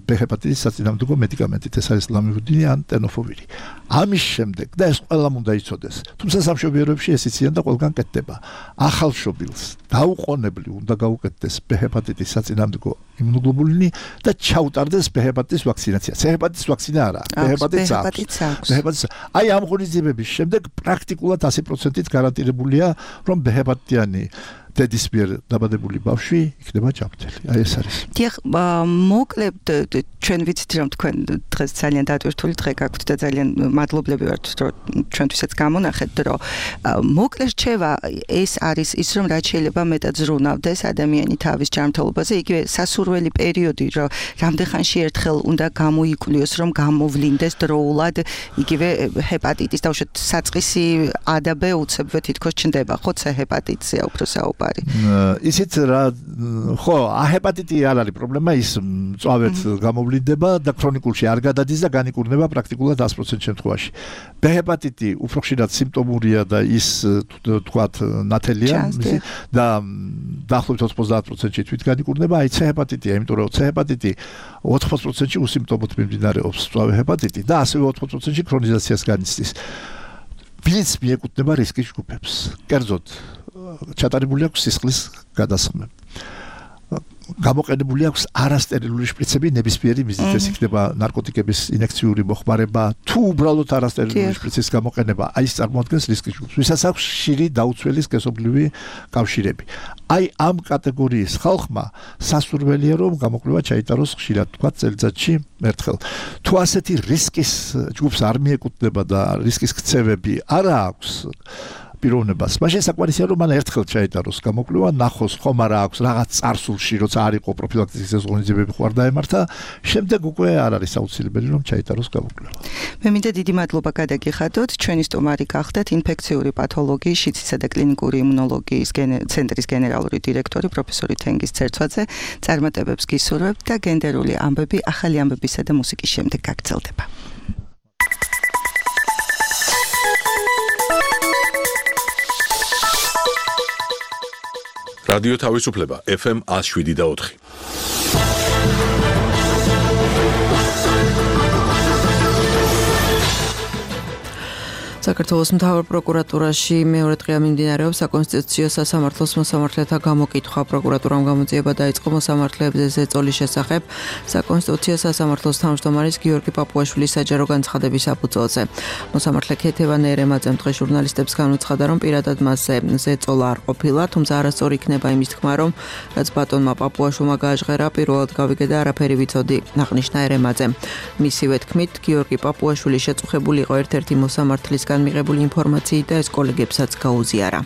B ჰეპატიტის საწინააღმდეგო მედიკამენტით, ეს არის ლამივუდინი ან ტენოფოვირი. ამის შემდეგ და ეს ყველამ უნდა იცოდეს, თუმცა სამშობიაროებში ეს იციან და ყველგან კეთდება. ახალშობილს დაუყოვნებლივ უნდა გაუკეთდეს B ჰეპატიტის საწინააღმდეგო იმუნოგლობულინი და ჩაუტარდეს B ჰეპატიტის ვაქცინაცია. C ჰეპატიტის ვაქცინა არა, B ჰეპატიტის აქვს. აი ამ ღონისძიებების შემდეგ პრაქტიკულად 100%-ით გარანტირებულია, რომ B ჰეპატიტიანი დედის მიერ დაბადებული ბავშვი იქნება ჯამთელი. აი ეს არის. დიახ, მოკლედ ჩვენ ვიცით, რომ თქვენ დღეს ძალიან დატვირთული დღე გაქვთ და ძალიან მადლობლები ვართ, რომ ჩვენთვისაც გამონახეთ, რომ მოკლედ რჩევა ეს არის ის, რომ რაც შეიძლება მეტად ზრუნავდეს ადამიანი თავის ჯანმრთელობაზე, იგივე სასურველი პერიოდი, რომ რამდენხანში ერთხელ უნდა გამოიკვლიოს, რომ გამოვლინდეს დროულად, იგივე ჰეპატიტის და უშუალოდ საწყისი ADB უცებვე თითქოს ჩნდება, ხო, C ჰეპატიტია უფრო საუბარი. ისიც რა, ხო, A ჰეპატიტი არ არის პრობლემა, ის მწვავედ გამოვლინდება და ქრონიკულში არ გადადის და განიკურნება პრაქტიკულად 100% შემთხვევაში. B ჰეპატიტი უფრო ხშირად სიმპტომურია და ის თქვათ ნათელია და დაახლოებით 90%-ში თვით განიკურნება, აი C ჰეპატიტია, იმიტომ რომ C ჰეპატიტი 80%-ში უსიმპტომოდ მიმდინარეობს მწვავე ჰეპატიტი და ასევე 80%-ში ქრონიზაციას განიცდის. ვინც მიეკუთვნება რისკის ჯგუფებს. კერძოდ ჩატარებული აქვს სისხლის გადასხმები. გამოყენებული აქვს არასტერილული შპრიცები ნებისმიერი მიზნით, ეს იქნება ნარკოტიკების ინექციური მოხმარება, თუ უბრალოდ არასტერილული შპრიცის გამოყენება, აი ეს წარმოადგენს რისკის ჯგუფს. ვისაც აქვს ხშირი დაუცველი სქესობრივი კავშირები. აი ამ კატეგორიის ხალხმა სასურველია, რომ გამოკვლევა ჩაიტაროს ხშირად, თქვა წელიწადში ერთხელ. თუ ასეთი რისკის ჯგუფს არ მიეკუთვნება და რისკის ქცევები არა აქვს, პიროვნებას. მაშინ საკმარისია რომ მან ერთხელ ჩაიტაროს გამოკვლევა, ნახოს ხომ არა აქვს რაღაც წარსულში, როცა არ იყო პროფილაქტიკის ზღონიზებები ხوار დაემართა, შემდეგ უკვე არ არის აუცილებელი რომ ჩაიტაროს გამოკვლევა. მე მინდა დიდი მადლობა გადაგიხადოთ. ჩვენი სტუმარი გახდათ ინფექციური პათოლოგიის, შიდსისა და კლინიკური იმუნოლოგიის ცენტრის გენერალური დირექტორი პროფესორი თენგიზ ცერცვაძე. წარმატებებს გისურვებთ და გენდერული ამბები ახალი ამბებისა და მუსიკის შემდეგ გაგრძელდება. რადიო თავისუფლება FM 107.4. საქართველოს მთავარ პროკურატურაში მეორე დღეა მიმდინარეობს საკონსტიტუციო სასამართლოს მოსამართლეთა გამოკითხვა. პროკურატურამ გამოძიება დაიწყო მოსამართლეებზე ზეწოლის შესახებ საკონსტიტუციო სასამართლოს თავმჯდომარის გიორგი პაპუაშვილის საჯარო განცხადების საფუძველზე. მოსამართლე ქეთევან ერემაძემ დღეს ჟურნალისტებს განუცხადა, რომ პირადად მასზე ზეწოლა არ ყოფილა, თუმცა არასწორი იქნება იმის თქმა, რომ რაც ბატონმა პაპუაშვილმა გააჟღერა, პირველად გავიგე და არაფერი ვიცოდი, აღნიშნა ერემაძემ. მისივე თქმით, გიორგი პაპუაშვილი შეწუხებული იყო ერთ-ერთი მოსამართლისგან მიღებული ინფორმაციით და ეს კოლეგებსაც გაუზიარა.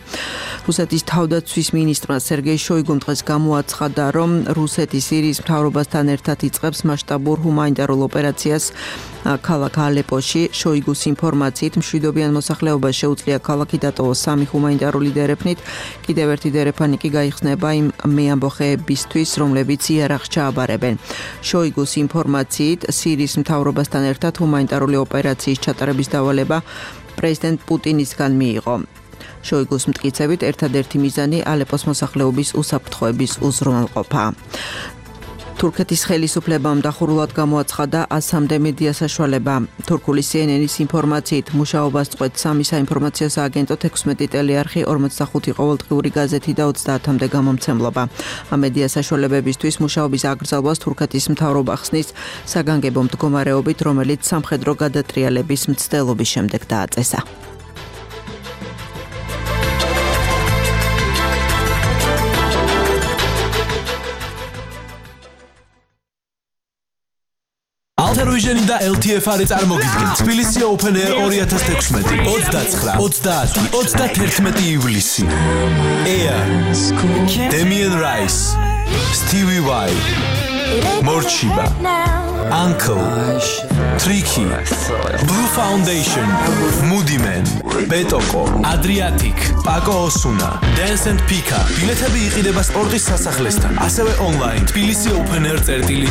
რუსეთის თავდაცვის მინისტრმა სერგეი შოიგუმ დღეს გამოაცხადა, რომ რუსეთი სირიის მთავრობასთან ერთად იწყებს მასშტაბურ ჰუმანიტარულ ოპერაციას ქალაქ ალეპოში. შოიგუს ინფორმაციით მშვიდობიან მოსახლეობას შეუძლია ქალაქი დატოვოს 3 ჰუმანიტარული დერეფნით, კიდევ ერთი დერეფანი კი გაიხსნება იმ მეამბოხეებისთვის, რომლებიც იარაღს ჩააბარებენ. შოიგუს ინფორმაციით სირიის მთავრობასთან ერთად ჰუმანიტარული ოპერაციის ჩატარების დავალება პრეზიდენტ პუტინისგან მიიღო. შოიგუს მტკიცებით ერთადერთი მიზანი ალეპოს მოსახლეობის უსაფრთხოების უზრუნველყოფა. თურქეთის ხელისუფლებამ დახურულად გამოაცხადა 100-მდე მედია საშუალება. თურქული CNN-ის ინფორმაციით მუშაობას წყვეტ 3 საინფორმაციო სააგენტო 16 ტელეარხი, 45 ყოველდღიური გაზეთი და 30-მდე გამომცემლობა. ამ მედია საშუალებებისთვის მუშაობის აკრძალვას თურქეთის მთავრობა ხსნის საგანგებო მდგომარეობით, რომელიც სამხედრო გადატრიალების მცდელობის შემდეგ დააწესა. Alter-Vision და LTFR-ი წარმოგიდგენ თბილისი Open Air 2016 29-31 ივლისი. Air, Damien Rice, Stevie Y, Morchiba, Uncle, Tricky, Blue Foundation, Moody Man, Betoko, Adriatic, Paco Osuna, Dance and Pika. ბილეთები იყიდება სპორტის სასახლესთან, ასევე online თბილისი Open Air.g.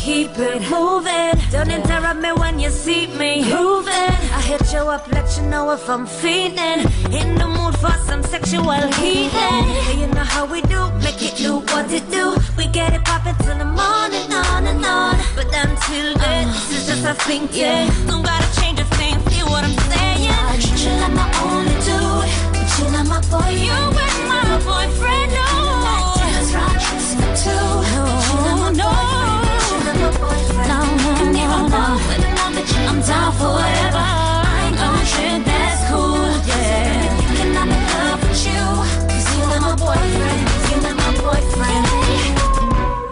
Keep it moving. Don't interrupt me when you see me moving. I hit show up, let you know if I'm feeling in the mood for some sexual healing. You know how we do, make it do what it do. We get it poppin' till the morning, on and on. But until then, this is just a thing, yeah. Don't gotta change a thing, feel what I'm saying. I treat you like my only dude, but you're not my boy. You ain't my boyfriend, no. That's right, just for two. You're not my boyfriend, you're not my boyfriend. No, and if I'm wrong with another chick, I'm down for whatever. I ain't gon' trip, that's cool, yeah. Thinking I'm in love with you, 'cause you're not my boyfriend, you're not my boyfriend.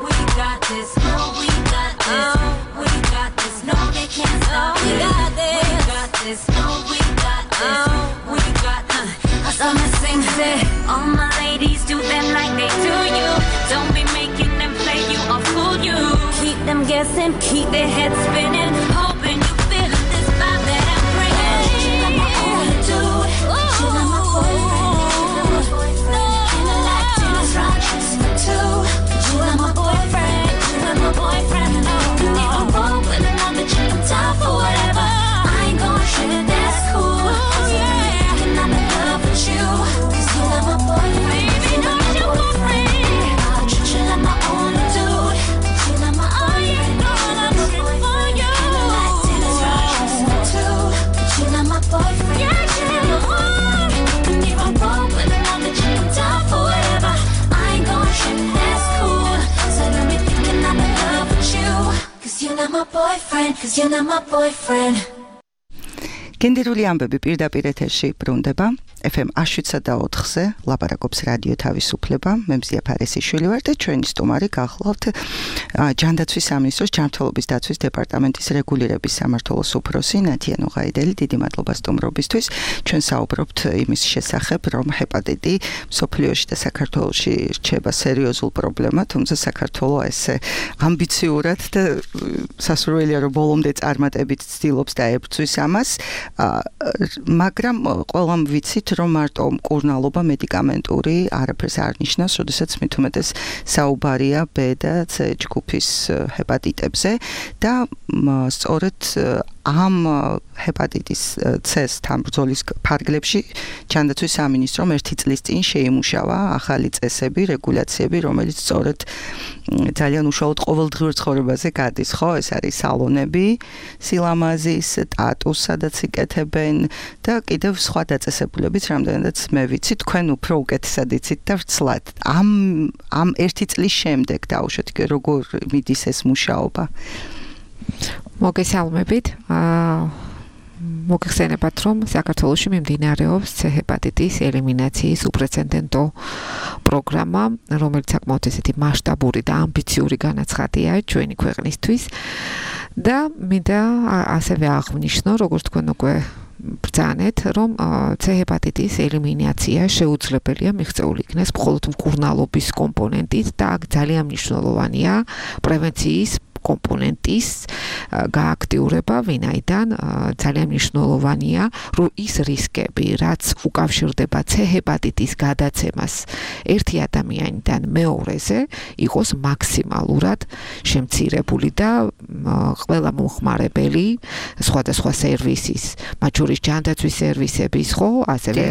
We got this, oh, we got this, we got this, no, they can't stop it. We got this, oh, we got this, we got this. I saw me sing, say, all my ladies do them like they do you. Don't be making them play you or fool you. Keep them guessing, keep their heads spinning, hoping you feel this vibe that I'm bringing. You're not my only dude, you're not my boyfriend. And I like tennis rackets for two. You're not my boyfriend, you're not my boyfriend. And if I'm wrong with another chick, I'm down for whatever. I ain't gon' trip, that's cool. And I'm in love with you, 'cause you're not my boyfriend, you're not my boyfriend. I treat you like my only dude, you're not my boyfriend, you're not my boyfriend. And I like tennis rackets for two. You're not my boyfriend, you're not my boyfriend. And if I'm wrong with another chick, I'm down for whatever. I ain't gon' trip, that's cool. So let me thinking I'm in love with you, 'cause you're not my boyfriend, 'cause you're not my boyfriend. გენდერული ამბები პირდაპირ ეთერში ბრუნდება. FM 107.4-ზე ლაპარაკობს რადიო თავისუფლება. მე მზია ფარესიშვილი ვარ და ჩვენი სტუმარი გახლავთ ჯანდაცვის სამინისტროს ჯანმრთელობის დაცვის დეპარტამენტის რეგულირების სამმართველოს უფროსი ნათია ნუღაიდელი. დიდი მადლობა სტუმრობისთვის. ჩვენ საუბრობთ იმის შესახებ, რომ ჰეპატიტი მსოფლიოში და საქართველოში რჩება სერიოზულ პრობლემად, თუმცა საქართველო ესე ამბიციურად და სასურველია რომ ბოლომდე წარმატებით ცდილობს და ებრძვის ამას. მაგრამ ყველამ ვიცით, რომ მარტო მკურნალობა მედიკამენტური არაფერს არ ნიშნავს, როდესაც მით უმეტეს საუბარია B და C ჯგუფის ჰეპატიტებზე და სწორედ ამ ჰეპატიტის C-თან ბრძოლის ფარგლებში ჯანდაცვის სამინისტრომ ერთი წლის წინ შეიმუშავა ახალი წესები, რეგულაციები, რომელიც სწორედ ძალიან უშუალოდ ყოველდღიურ ცხოვრებაზე გადის, ხო? ეს არის სალონები, სილამაზის, ტატუს, სადაც იკეთებენ და კიდევ სხვა დაწესებულებიც, რამდენადაც მე ვიცი, თქვენ უფრო უკეთესად იცით და ვრცლად. ამ ერთი წლის შემდეგ დაუშვათ, როგორ მიდის ეს მუშაობა? მოგესალმებით. მოგხსენებათ, რომ საქართველოში მიმდინარეობს C ჰეპატიტის ელიმინაციის უპრეცედენტო პროგრამა, რომელიც საკმაოდ ესეთი მასშტაბური და ამბიციური განაცხადია ჩვენი ქვეყნისთვის და მინდა ასევე აღვნიშნო, როგორც თქვენ უკვე ბრძანეთ, რომ C ჰეპატიტის ელიმინაცია შეუძლებელია მიღწეული იქნეს მხოლოდ მკურნალობის კომპონენტით და ძალიან მნიშვნელოვანია პრევენციის კომპონენტის გააქტიურება, ვინაიდან ძალიან მნიშვნელოვანია, რომ ის რისკები, რაც უკავშირდება C ჰეპატიტის გადაცემას ერთი ადამიანიდან მეორეზე, იყოს მაქსიმალურად შემცირებული და ყველა მომხმარებელი სხვადასხვა სერვისის, მათ შორის ჯანდაცვის სერვისების, ხო, ასევე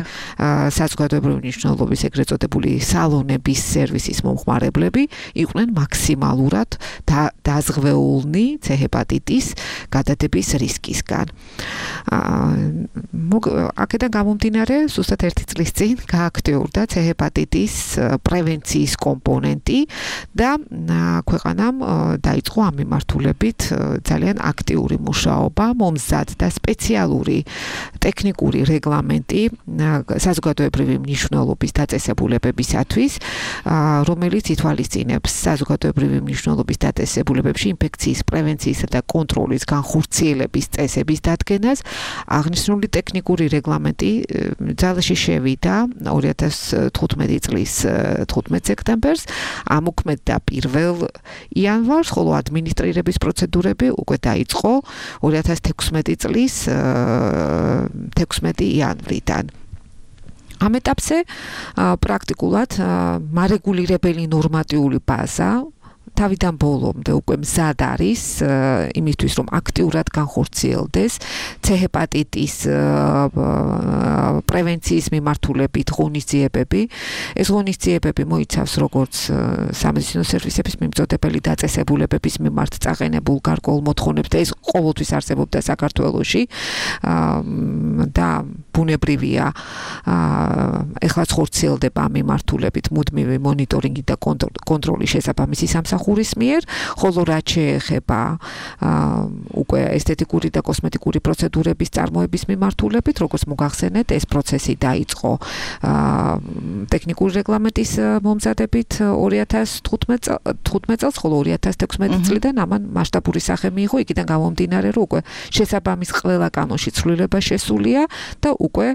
საზოგადოებრივი მნიშვნელობის ეგრეთ წოდებული სალონების სერვისის მომხმარებლები იყვნენ მაქსიმალურად დაზღვეულნი C ჰეპატიტის გადადების რისკისგან. აქედან გამომდინარე, ზუსტად ერთი წლის წინ გააქტიურდა C ჰეპატიტის პრევენციის კომპონენტი და ქვეყანამ დაიწყო ამ მიმართულებით ძალიან აქტიური მუშაობა, მომზადდა სპეციალური ტექნიკური რეგლამენტი საზოგადოებრივი მნიშვნელობის დაწესებულებებისათვის, რომელიც ითვალისწინებს საზოგადოებრივი მნიშვნელობის დაწესებულებებში ინფექციის პრევენციისა და კონტროლის განხორციელების წესების დადგენას. აღნიშნული ტექნიკური რეგლამენტი ძალაში შევიდა 2015 წლის 15 სექტემბერს, ამოქმედდა 1 იანვარს, ხოლო ადმინისტრირების პროცედურები უკვე დაიწყო 2016 წლის 16 იანვრიდან. ამ ეტაპზე პრაქტიკულად მარეგულირებელი ნორმატიული ბაზა თავიდან ბოლომდე უკვე მზად არის იმისთვის რომ აქტიურად განხორციელდეს C-ჰეპატიტის პრევენციის მიმართულებით ღონისძიებები. ეს ღონისძიებები მოიცავს როგორც სამედიცინო სერვისების მიმწოდებელი დაწესებულებების მიმართ წაყენებულ გარკვეულ მოთხოვნებს და ეს ყოველთვის არსებობდა საქართველოში და ბუნებრივია ეხლაც ხორციელდება ამ მიმართულებით მუდმივი მონიტორინგი და კონტროლი შესაბამისი სამსახურის მიერ, ხოლო რაც შეეხება უკვე ესთეტიკური და კოსმეტიკური პროცედურების წარმოების მიმართულებით, როგორც მოგახსენეთ, ეს პროცესი დაიწყო ტექნიკური რეგლამენტის მომზადებით 2015 წელს, ხოლო 2016 წლიდან ამან მასშტაბური სახე მიიღო, იქიდან გამომდინარე, რომ უკვე შესაბამის ყველა კანონში ცვლილება შესულია და უკვე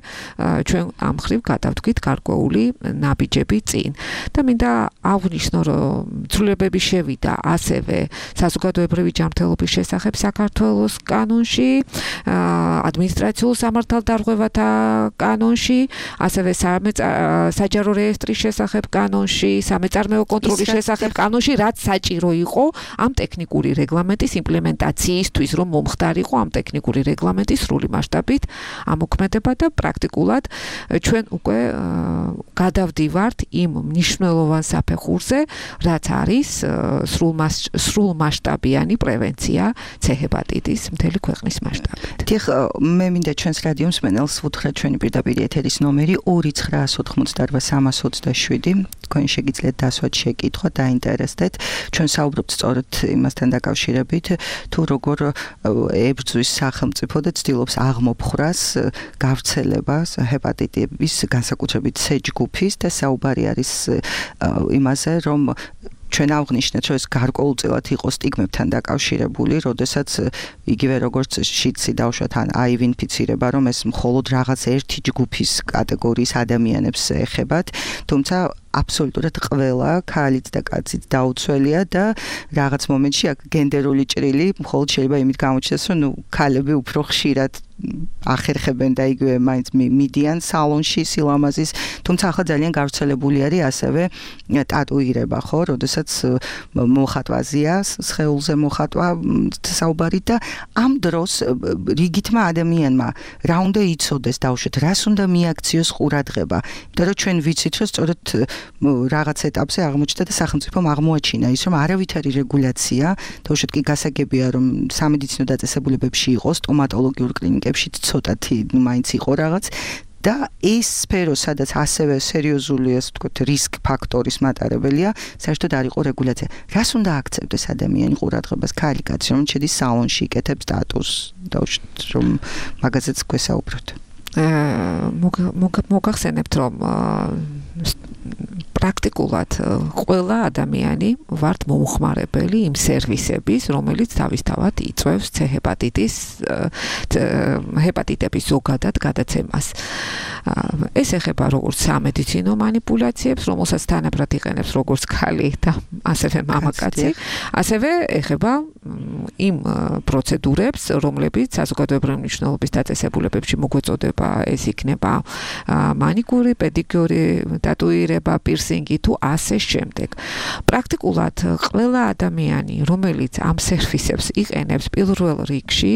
ჩვენ ამ ხრივ გადავდგით გარკვეული ნაბიჯები წინ. და მინდა აღვნიშნო, რომ ცვლილებები შევიდა ასევე საზოგადოებრივი ჯანმრთელობის შესახებ საქართველოს კანონში, ადმინისტრაციულ სამართალდარღვევათა კანონში, ასევე საჯარო რეესტრის შესახებ კანონში, სამეწარმეო კონტროლის შესახებ კანონში, რაც საჭირო იყო ამ ტექნიკური რეგლამენტის იმპლემენტაციისთვის, რომ მომხდარიყო ამ ტექნიკური რეგლამენტის სრული მასშტაბით ამოქმედება და პრაქტიკულად ჩვენ უკვე გადავდივართ იმ მნიშვნელოვან საფეხურზე, რაც არის სრულმასშტაბიანი პრევენცია C-ჰეპატიტის მთელი ქვეყნის მასშტაბით. დიახ, მე მინდა ჩვენს რადიო მსმენელს ვუთხრათ ჩვენი პირდაპირ ეთერის ნომერი 2988327. თქვენ შეგიძლიათ დასვათ შეკითხვა, დაინტერესდეთ. ჩვენ საუბრობთ სწორედ იმასთან დაკავშირებით, თუ როგორ ებრძვის სახელმწიფო და ცდილობს აღმოფხვრას გავრცელებას ჰეპატიტების, განსაკუთრებით C ჯგუფის და საუბარი არის იმაზე, რომ ჩვენ აღვნიშნეთ, რომ ეს გარკვეულწილად იყო სტიგმებთან დაკავშირებული, როდესაც იგივე როგორც შიდსი დავშვათ ან HIV ინფიცირება, რომ ეს მხოლოდ რაღაც ერთი ჯგუფის კატეგორიის ადამიანებს ეხებათ, თუმცა აბსოლუტურად ყველა ქალიც და კაციც დაუცველია და რაღაც მომენტში აქ გენდერული ჭრილი მხოლოდ შეიძლება იმით გამოჩნდეს, რომ ქალები უფრო ხშირად ახერხებენ და იგივე მაინც მიდიან სალონში სილამაზის, თუმცა ახლა ძალიან გავრცელებული არის ასევე ტატუირება, ხო, როდესაც მოხატვაზია, სხეულზე მოხატვა საუბარი და ამ დროს რიგითმა ადამიანმა რა უნდა იცოდეს დავუშვათ, რას უნდა მიაქციოს ყურადღება, იმიტომ რომ ჩვენ ვიცით, რომ სწორედ რაღაც ეტაპზე აღმოჩნდა და სახელმწიფომ აღმოაჩინა ის, რომ არავითარი რეგულაცია, დავუშვათ კი გასაგებია, რომ სამედიცინო დაწესებულებებში იყოს, სტომატოლოგიურ კლინიკებში ცოტათი მაინც იყო რაღაც და ეს სფერო, სადაც ასევე სერიოზული, ასე ვთქვათ, რისკ ფაქტორის მატარებელია, საერთოდ არ იყო რეგულაცია. რას უნდა აქცევდეს ადამიანი ყურადღებას, ქალი კაცი, რომ შედის სალონში, იკეთებს ტატუს, დავუშვათ, რომ მაგაზეც გვესაუბროთ. მოგახსენებთ, რომ პრაქტიკულად ყველა ადამიანი ვართ მომხმარებელი იმ სერვისების, რომელიც თავისთავად იწვევს C-ჰეპატიტის ჰეპატიტების ზოგადად გადაცემას. ეს ეხება როგორც სამედიცინო манипуляციებს, რომელსაც თანაბრად იყენებს როგორც ქალი და ასევე მამაკაცი, ასევე ეხება იმ პროცედურებს, რომლებიც საზოგადოებრივი მნიშვნელობის დაწესებულებებში მოგვეწოდება, ეს იქნება მანიკური, პედიკური, ტატუირება, პირსინგი თუ ასე შემდეგ. პრაქტიკულად ყველა ადამიანი, რომელიც ამ სერვისებს იყენებს პირველ რიგში,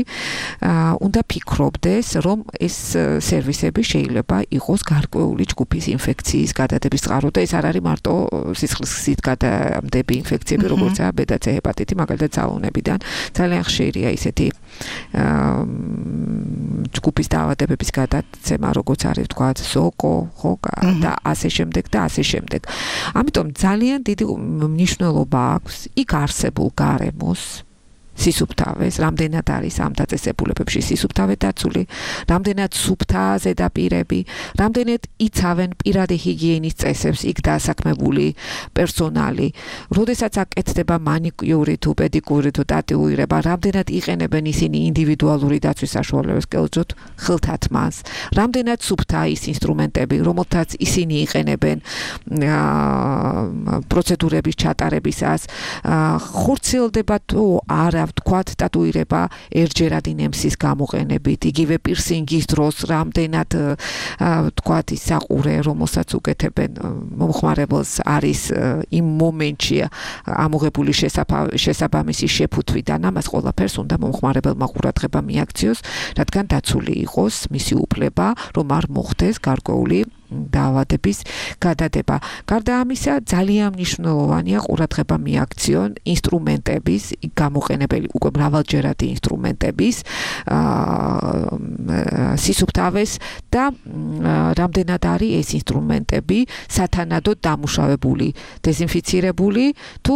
უნდა ფიქრობდეს, რომ ეს სერვისები შეიძლება იყოს გარკვეული ჯგუფის ინფექციის გადადების წყარო და ეს არ არის მარტო სისხლისგზით გადამდები ინფექციები, როგორცაა B და C ჰეპატიტი, მაგალითად ძალოვნებიდან. ძალიან ხშირია ისეთი ჯგუფის დაავადებების გადაცემა, როგორც არის ვთქვათ, სოკო, ხო, და ასე შემდეგ და ასე შემდეგ. ამიტომ ძალიან დიდი მნიშვნელობა აქვს იქ არსებულ გარემოს სისუფთავეს, რამდენად არის ამ დაწესებულებებში სისუფთავე დაცული, რამდენად სუფთაა ზედაპირები, რამდენად იცავენ პირადი ჰიგიენის წესებს იქ დასაქმებული პერსონალი, როდესაც აკეთდება მანიკიური თუ პედიკური თუ ტატუირება, რამდენად იყენებენ ისინი ინდივიდუალური დაცვის საშუალებებს, კერძოდ ხილთათმას, რამდენად სუფთაა ის ინსტრუმენტები, რომელთაც ისინი იყენებენ პროცედურების ჩატარებისას, ხორციელდება თუ არა ვთქვათ, ტატუირება ერთჯერადი ნემსის გამოყენებით, იგივე პირსინგის დროს რამდენად ვთქვათ ის საყურე, რომელსაც უკეთებენ მომხმარებელს არის იმ მომენტში ამოღებული შესაბამისი შეფუთვიდან, ამას ყველაფერს უნდა მომხმარებელმა ყურადღება მიაქციოს, რადგან დაცული იყოს მისი უფლება, რომ არ მოხდეს გარკვეული დაავადების გადადება. გარდა ამისა, ძალიან მნიშვნელოვანია ყურადღება მიაქციონ ინსტრუმენტების გამოყენებელი, უკვე მრავალჯერადი ინსტრუმენტების სისუფთავეს და რამდენად არის ეს ინსტრუმენტები სათანადოდ დამუშავებული, დეზინფიცირებული თუ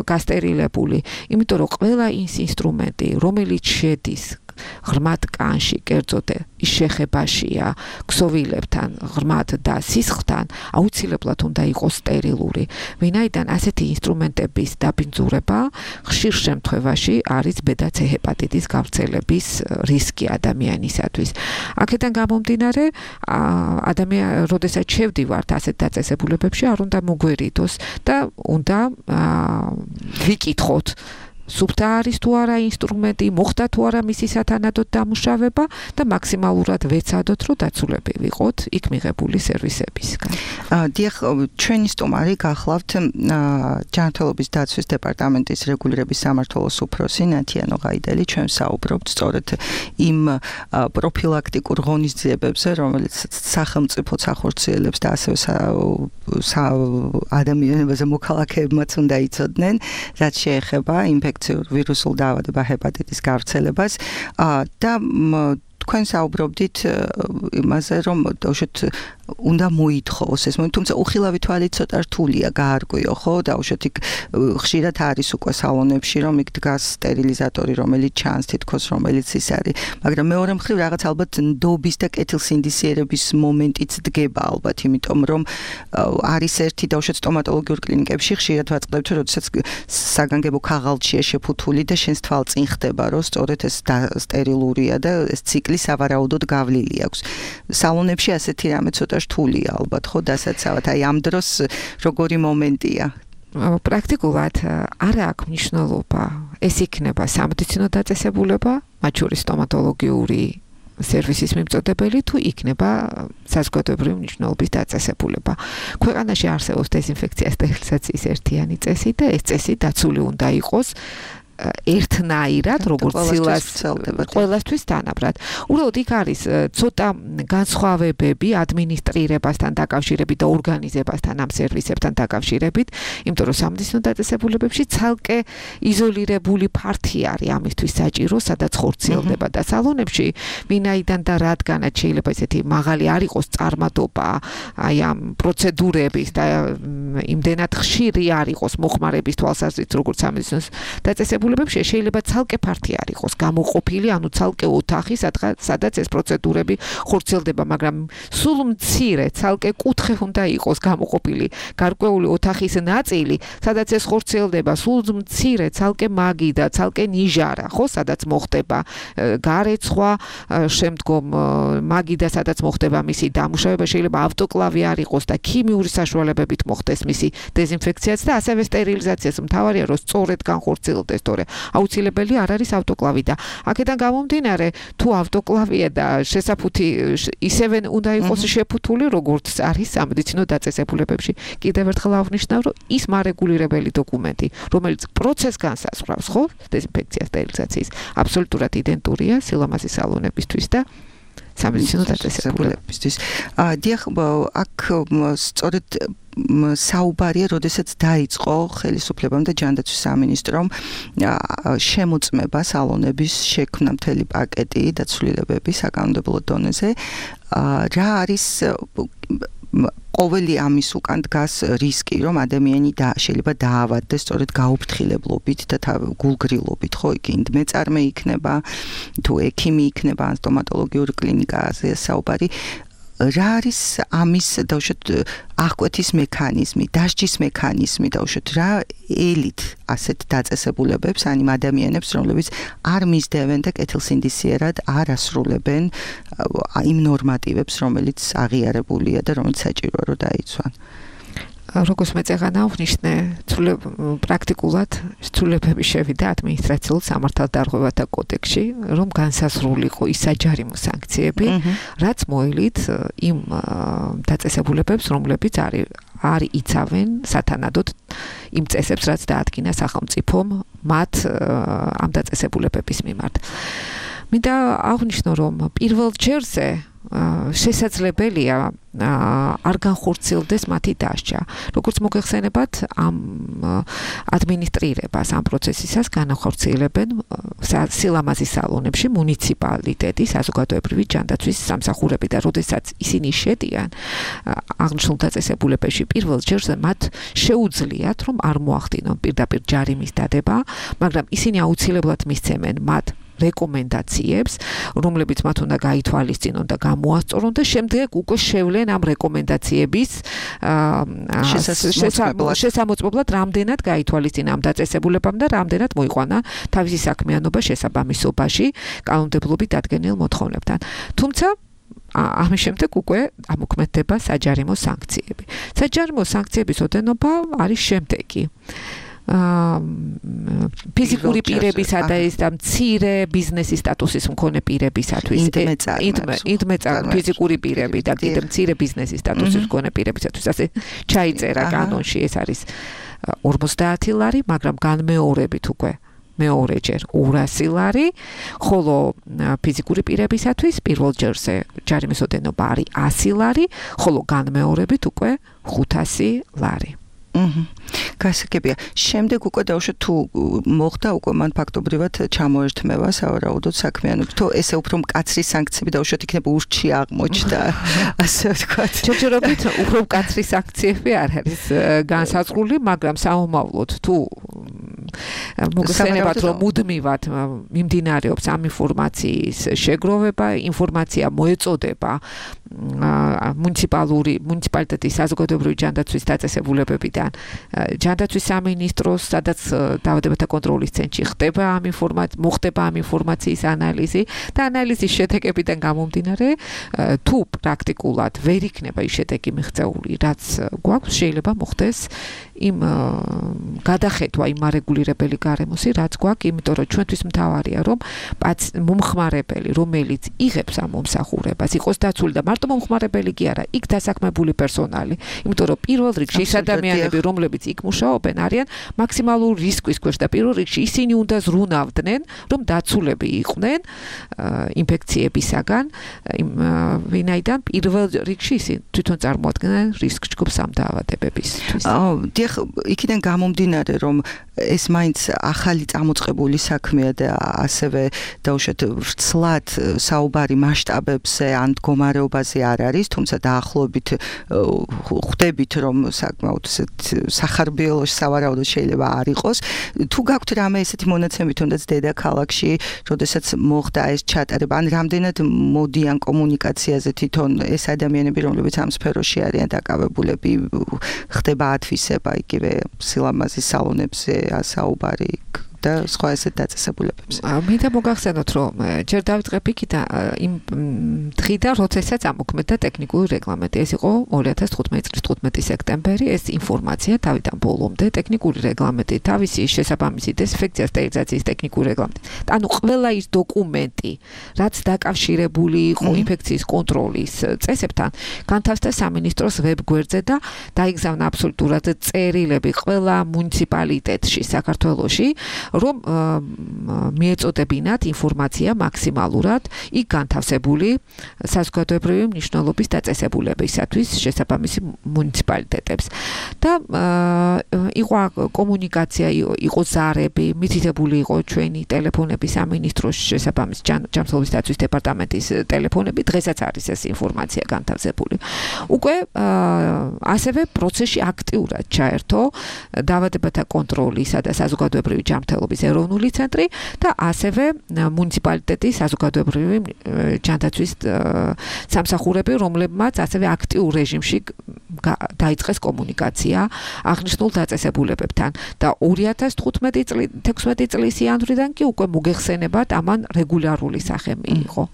გასტერილებული. იმიტომ რომ ყველა ის ინსტრუმენტი, რომელიც შედის ღრმად კანში, კერძოდ ის შეხებაშია ქსოვილებთან, ღრმად და სისხლთან, აუცილებლად უნდა იყოს სტერილური. ვინაიდან ასეთი ინსტრუმენტების დაბინძურება ხშირ შემთხვევაში არის ბედაც ჰეპატიტის გავრცელების რისკი ადამიანისათვის. აქედან გამომდინარე, როდესაც შევდივართ ასეთ დაწესებულებებში, არ უნდა მოგვერიდოს და უნდა ვიკითხოთ სუფთა არის თუ არა ინსტრუმენტი, მოხდა თუ არა მისი სათანადოდ დამუშავება და მაქსიმალურად ვეცადოთ, რომ დაცულები ვიყოთ იქ მიღებული სერვისებისგან. დიახ, ჩვენი სტუმარი გახლავთ ჯანმრთელობის დაცვის დეპარტამენტის რეგულირების სამმართველოს უფროსი ნათიანო ღაიდელი. ჩვენ საუბრობთ სწორედ იმ პროფილაქტიკურ ღონისძიებებზე, რომელიც სახელმწიფოც ახორციელებს და ასევე ადამიანებზე მოქალაქეებმაც უნდა იცოდნენ, რაც შეეხება ვირუსულ დაავადება ჰეპატიტის გავრცელებას და თქვენ საუბრობდით იმაზე, რომ უშოთ უნდა მოითხოვოს ეს მომენტი, თუმცა უხილავი თვალით ცოტა რთულია გაარკვიო, ხო? და უშოთ იქ ხშირად არის უკვე სალონებში, რომ იქ დგას სტერილიზატორი, რომელიც ჩანს თითქოს, რომელიც ის არის, მაგრამ მეორე მხრივ რაღაც ალბათ ნდობის და კეთილსინდისიერების მომენტიც დგება ალბათ, იმიტომ რომ არის ერთი და უშოთ სტომატოლოგიურ კლინიკებში ხშირად ვაწყდებთ, რომ როდესაც საგანგებო ქაღალდშია შეფუთული და შენს თვალწინ ხდება, რომ სწორედ ეს სტერილურია და ეს ციკლი სავარაუდოდ გავლილი აქვს. სალონებში ასეთი რამე ცოტა რთულია ალბათ, ხო, დასაცავად. აი ამ დროს როგორი მომენტია? პრაქტიკულად არ აქვს მნიშვნელობა. ეს იქნება სამედიცინო დაწესებულება, მათ შორის სტომატოლოგიური სერვისის მიმწოდებელი თუ იქნება საზოგადოებრივი მნიშვნელობის დაწესებულება. ქვეყანაში არსებობს დეზინფექცია სტერილიზაციის ერთიანი წესი და ეს წესი დაცული უნდა იყოს ერთნაირად, როგორც სილას ყველასთვის თანაბრად. უბრალოდ იქ არის ცოტა განსხვავებები ადმინისტრირებასთან დაკავშირებით და ორგანიზებასთან ამ სერვისებთან დაკავშირებით, იმიტომ რომ სამედიცინო დაწესებულებებში ცალკე იზოლირებული ფართი არის ამისთვის საჭირო, სადაც ხორციელდება და სალონებში ვინაიდან და რადგანაც შეიძლება ესეთი მაღალი არ იყოს წარმატობა აი ამ პროცედურების და იმდენად ხშირი არ იყოს მოხმარების თვალსაზრისით, როგორც სამედიცინო დაწესებულებებში შეიძლება ცალკე ფართი არ იყოს გამოყოფილი, ანუ ცალკე ოთახი, სადაც ეს პროცედურები ხორციელდება, მაგრამ სულ მცირე ცალკე კუთხე უნდა იყოს გამოყოფილი გარკვეული ოთახის ნაწილი, სადაც ეს ხორციელდება, სულ მცირე ცალკე მაგი და ცალკე ნიჟარა, ხო, სადაც მოხდება გარეცხვა, შემდგომ მაგი და სადაც მოხდება მისი დამუშავება, შეიძლება ავტოკლავი არ იყოს და ქიმიური საშუალებებით მოხდეს მისი დეზინფექციაც და ასევე სტერილიზაციაც. მთავარია რომ სწორედ განხორციელდეს, თორე აუცილებელი არ არის ავტოკლავი და აქედან გამომდინარე, თუ ავტოკლავია და შესაფუთი ისევე უნდა იყოს შეფუთული, როგორც არის სამედიცინო დაწესებულებებში. კიდევ ერთხელ აღნიშნავ, რომ ის მარეგულირებელი დოკუმენტი, რომელიც პროცესს განსაზღვრავს, ხო, დეზინფექცია სტერილიზაციის, აბსოლუტურად იდენტურია სილამაზის სალონებისთვის და სამედიცინო დაწესებულებებისთვის. დიახ, აქ სწორედ საუბარია, როდესაც დაიწყო ხელისუფლებამ და ჯანდაცვის სამინისტრომ შემოწმება სალონების შექმნა მთელი პაკეტი დაცვლილებები საკანონმდებლო დონეზე. რა არის ყოველი ამის უკან დგას რისკი, რომ ადამიანი შეიძლება დაავადდეს სწორედ გაუფრთხილებლობით და გულგრილობით, ხო, იქ მეწარმე იქნება, თუ ექიმი იქნება, ან სტომატოლოგიური კლინიკაზე საუბარი. რა არის ამის დაუშვათ აღკვეთის მექანიზმი, დასჯის მექანიზმი, დაუშვათ რა ელით ასეთ დაწესებულებებს, ან იმ ადამიანებს, რომლებიც არ მისდევენ და კეთილსინდისიერად არ ასრულებენ იმ ნორმატივებს, რომელიც აღიარებულია და რომელიც საჭიროა რომ დაიცვან. როგორც მეწეღანა ვნიშნე, პრაქტიკულად ცვლილებები შევიდა ადმინისტრაციულ სამართალდარღვევათა კოდექსში, რომ განსაზღვრულიყო ის საჯარიმო სანქციები, რაც მოელით იმ დაწესებულებებს, რომლებიც არის იცავენ სათანადოდ იმ წესებს, რაც დაადგინა სახელმწიფომ მათ ამ დაწესებულებების მიმართ. მინდა აღვნიშნო, რომ პირველ ჯერზე შესაძლებელია არ განხორციელდეს მათი დასჯა. როგორც მოგეხსენებათ, ამ ადმინისტრირებას, ამ პროცესისას განახორციელებენ სილამაზის სალონებში მუნიციპალიტეტი, საზოგადოებრივი ჯანდაცვის სამსახურები და როდესაც ისინი შედიან აღნიშნულ დაწესებულებებში, პირველ ჯერზე მათ შეუძლიათ, რომ არ მოახდინონ პირდაპირ ჯარიმის დადება, მაგრამ ისინი აუცილებლად მისცემენ მათ რეკომენდაციებს, რომლებიც მათ უნდა გაითვალისწინონ და გამოასწორონ და შემდეგ უკვე შევლენ ამ რეკომენდაციების შესამოწმებლად რამდენად გაითვალისწინა ამ დაწესებულებამ და რამდენად მოიყვანა თავისი საქმიანობა შესაბამისობაში კანონმდებლობით დადგენილ მოთხოვნებთან. თუმცა ამის შემდეგ უკვე ამოქმედდება საჯარიმო სანქციები. საჯარიმო სანქციების ოდენობა არის შემდეგი. ფიზიკური პირებისა და ის და მცირე ბიზნესის სტატუსის მქონე პირებისათვის ინდმეწარ ფიზიკური პირები და კიდევ მცირე ბიზნესის სტატუსის მქონე პირებისათვის ასე ჩაიწერა კანონში ეს არის 50 ლარი, მაგრამ განმეორებით უკვე მეორეჯერ 200 ლარი, ხოლო ფიზიკური პირებისათვის პირველ ჯერზე ჯარიმის ოდენობა არის 100 ლარი, ხოლო განმეორებით უკვე 500 ლარი. გასაგებია. შემდეგ უკვე დავუშვათ თუ მოხდა უკვე მან ფაქტობრივად ჩამოერთმევა სავარაუდოდ საქმიანობა. თუ ესე უფრო მკაცრი სანქციები დავუშვათ იქნება ურჩი აღმოჩნდა, ასე ვთქვათ. ჯერჯერობით უფრო მკაცრი სანქციები არ არის განსაზღვრული, მაგრამ საომავლოდ თუ მოგხსენებათ რომ მუდმივად მიმდინარეობს ამ ინფორმაციის შეგროვება, ინფორმაცია მოეწოდება მუნიციპალიტეტის საზოგადოებრივი ჯანდაცვის დაწესებულებებიდან ჯანდაცვის სამინისტროს, სადაც დაავადებათა კონტროლის ცენტრში ხდება მოხდება ამ ინფორმაციის ანალიზი და ანალიზის შედეგებიდან გამომდინარე, თუ პრაქტიკულად ვერ იქნება ის შედეგი მიღწეული, რაც გვაქვს, შეიძლება მოხდეს იმ გადახედვა იმ არეგულირებელი გარემოსი, რაც გვაქვს, იმიტომ რომ ჩვენთვის მთავარია, რომ მომხმარებელი, რომელიც იღებს ამ მომსახურებას, იყოს დაცული და მარტო მომხმარებელი კი არა, იქ დასაქმებული პერსონალი, იმიტომ რომ პირველ რიგში ის ადამიანები, რომლებიც იქ მუშაობენ, არიან მაქსიმალურ რისკის ქვეშ და პირველ რიგში ისინი უნდა ზრუნავდნენ, რომ დაცულები იყვნენ ინფექციებისაგან, ვინაიდან პირველ რიგში ისინი თვითონ წარმოადგენენ რისკ ჯგუფს ამ დაავადებებისთვის. იქიდან გამომდინარე, რომ ეს მაინც ახალი წამოწყებული საქმეა და ასევე დავუშვათ ვრცლად საუბარი მასშტაბებზე ან მდგომარეობაზე არ არის, თუმცა დაახლოებით ხვდებით, რომ საკმაოდ სახარბიელოში სავარაუდოდ შეიძლება არ იყოს. თუ გაქვთ რამე ესეთი მონაცემი თუნდაც დედაქალაქში, როდესაც მოხდა ეს ჩატარება, ან რამდენად მოდიან კომუნიკაციაზე თვითონ ეს ადამიანები, რომლებიც ამ სფეროში არიან დაკავებულები, ხდება ათვისება იგივე სილამაზის სალონებზე საუბარი და სხვა ესეთ დაწესებულებებზე. მინდა მოგახსენოთ, რომ ჯერ დავიწყებ იქიდან იმ დღიდან, როდესაც ამოქმედდა ტექნიკური რეგლამენტი. ეს იყო 2015 წლის 15 სექტემბერი. ეს ინფორმაცია თავიდან ბოლომდე ტექნიკური რეგლამენტი, თავისი შესაბამისი დეზინფექცია სტერილიზაციის ტექნიკური რეგლამენტი. ანუ ყველა ის დოკუმენტი, რაც დაკავშირებული იყო ინფექციის კონტროლის წესებთან, განთავსდა სამინისტროს ვებგვერდზე და დაიგზავნა აბსოლუტურად წერილები ყველა მუნიციპალიტეტში საქართველოში, რომ მიეწოდებინათ ინფორმაცია მაქსიმალურად იქ განთავსებული საზოგადოებრივი მნიშვნელობის დაწესებულებისათვის შესაბამისი მუნიციპალიტეტებს. და იყო კომუნიკაცია, იყო ზარები, მითითებული იყო ჩვენი ტელეფონები სამინისტროს შესაბამის ჯანმრთელობის დაცვის დეპარტამენტის ტელეფონები, დღესაც არის ეს ინფორმაცია განთავსებული. უკვე ასევე პროცესში აქტიურად ჩაერთო დაავადებათა კონტროლისა და საზოგადოებრივი ჯანმრთელობის ეროვნული ცენტრი და ასევე მუნიციპალიტეტის საზოგადოებრივი ჯანდაცვის სამსახურები, რომლებმაც ასევე აქტიურ რეჟიმში დაიწყეს კომუნიკაცია აღნიშნულ დაწესებულებებთან და 2015-16 წლის იანვრიდან კი უკვე მოგეხსენებათ ამან რეგულარული სახე მიიღო.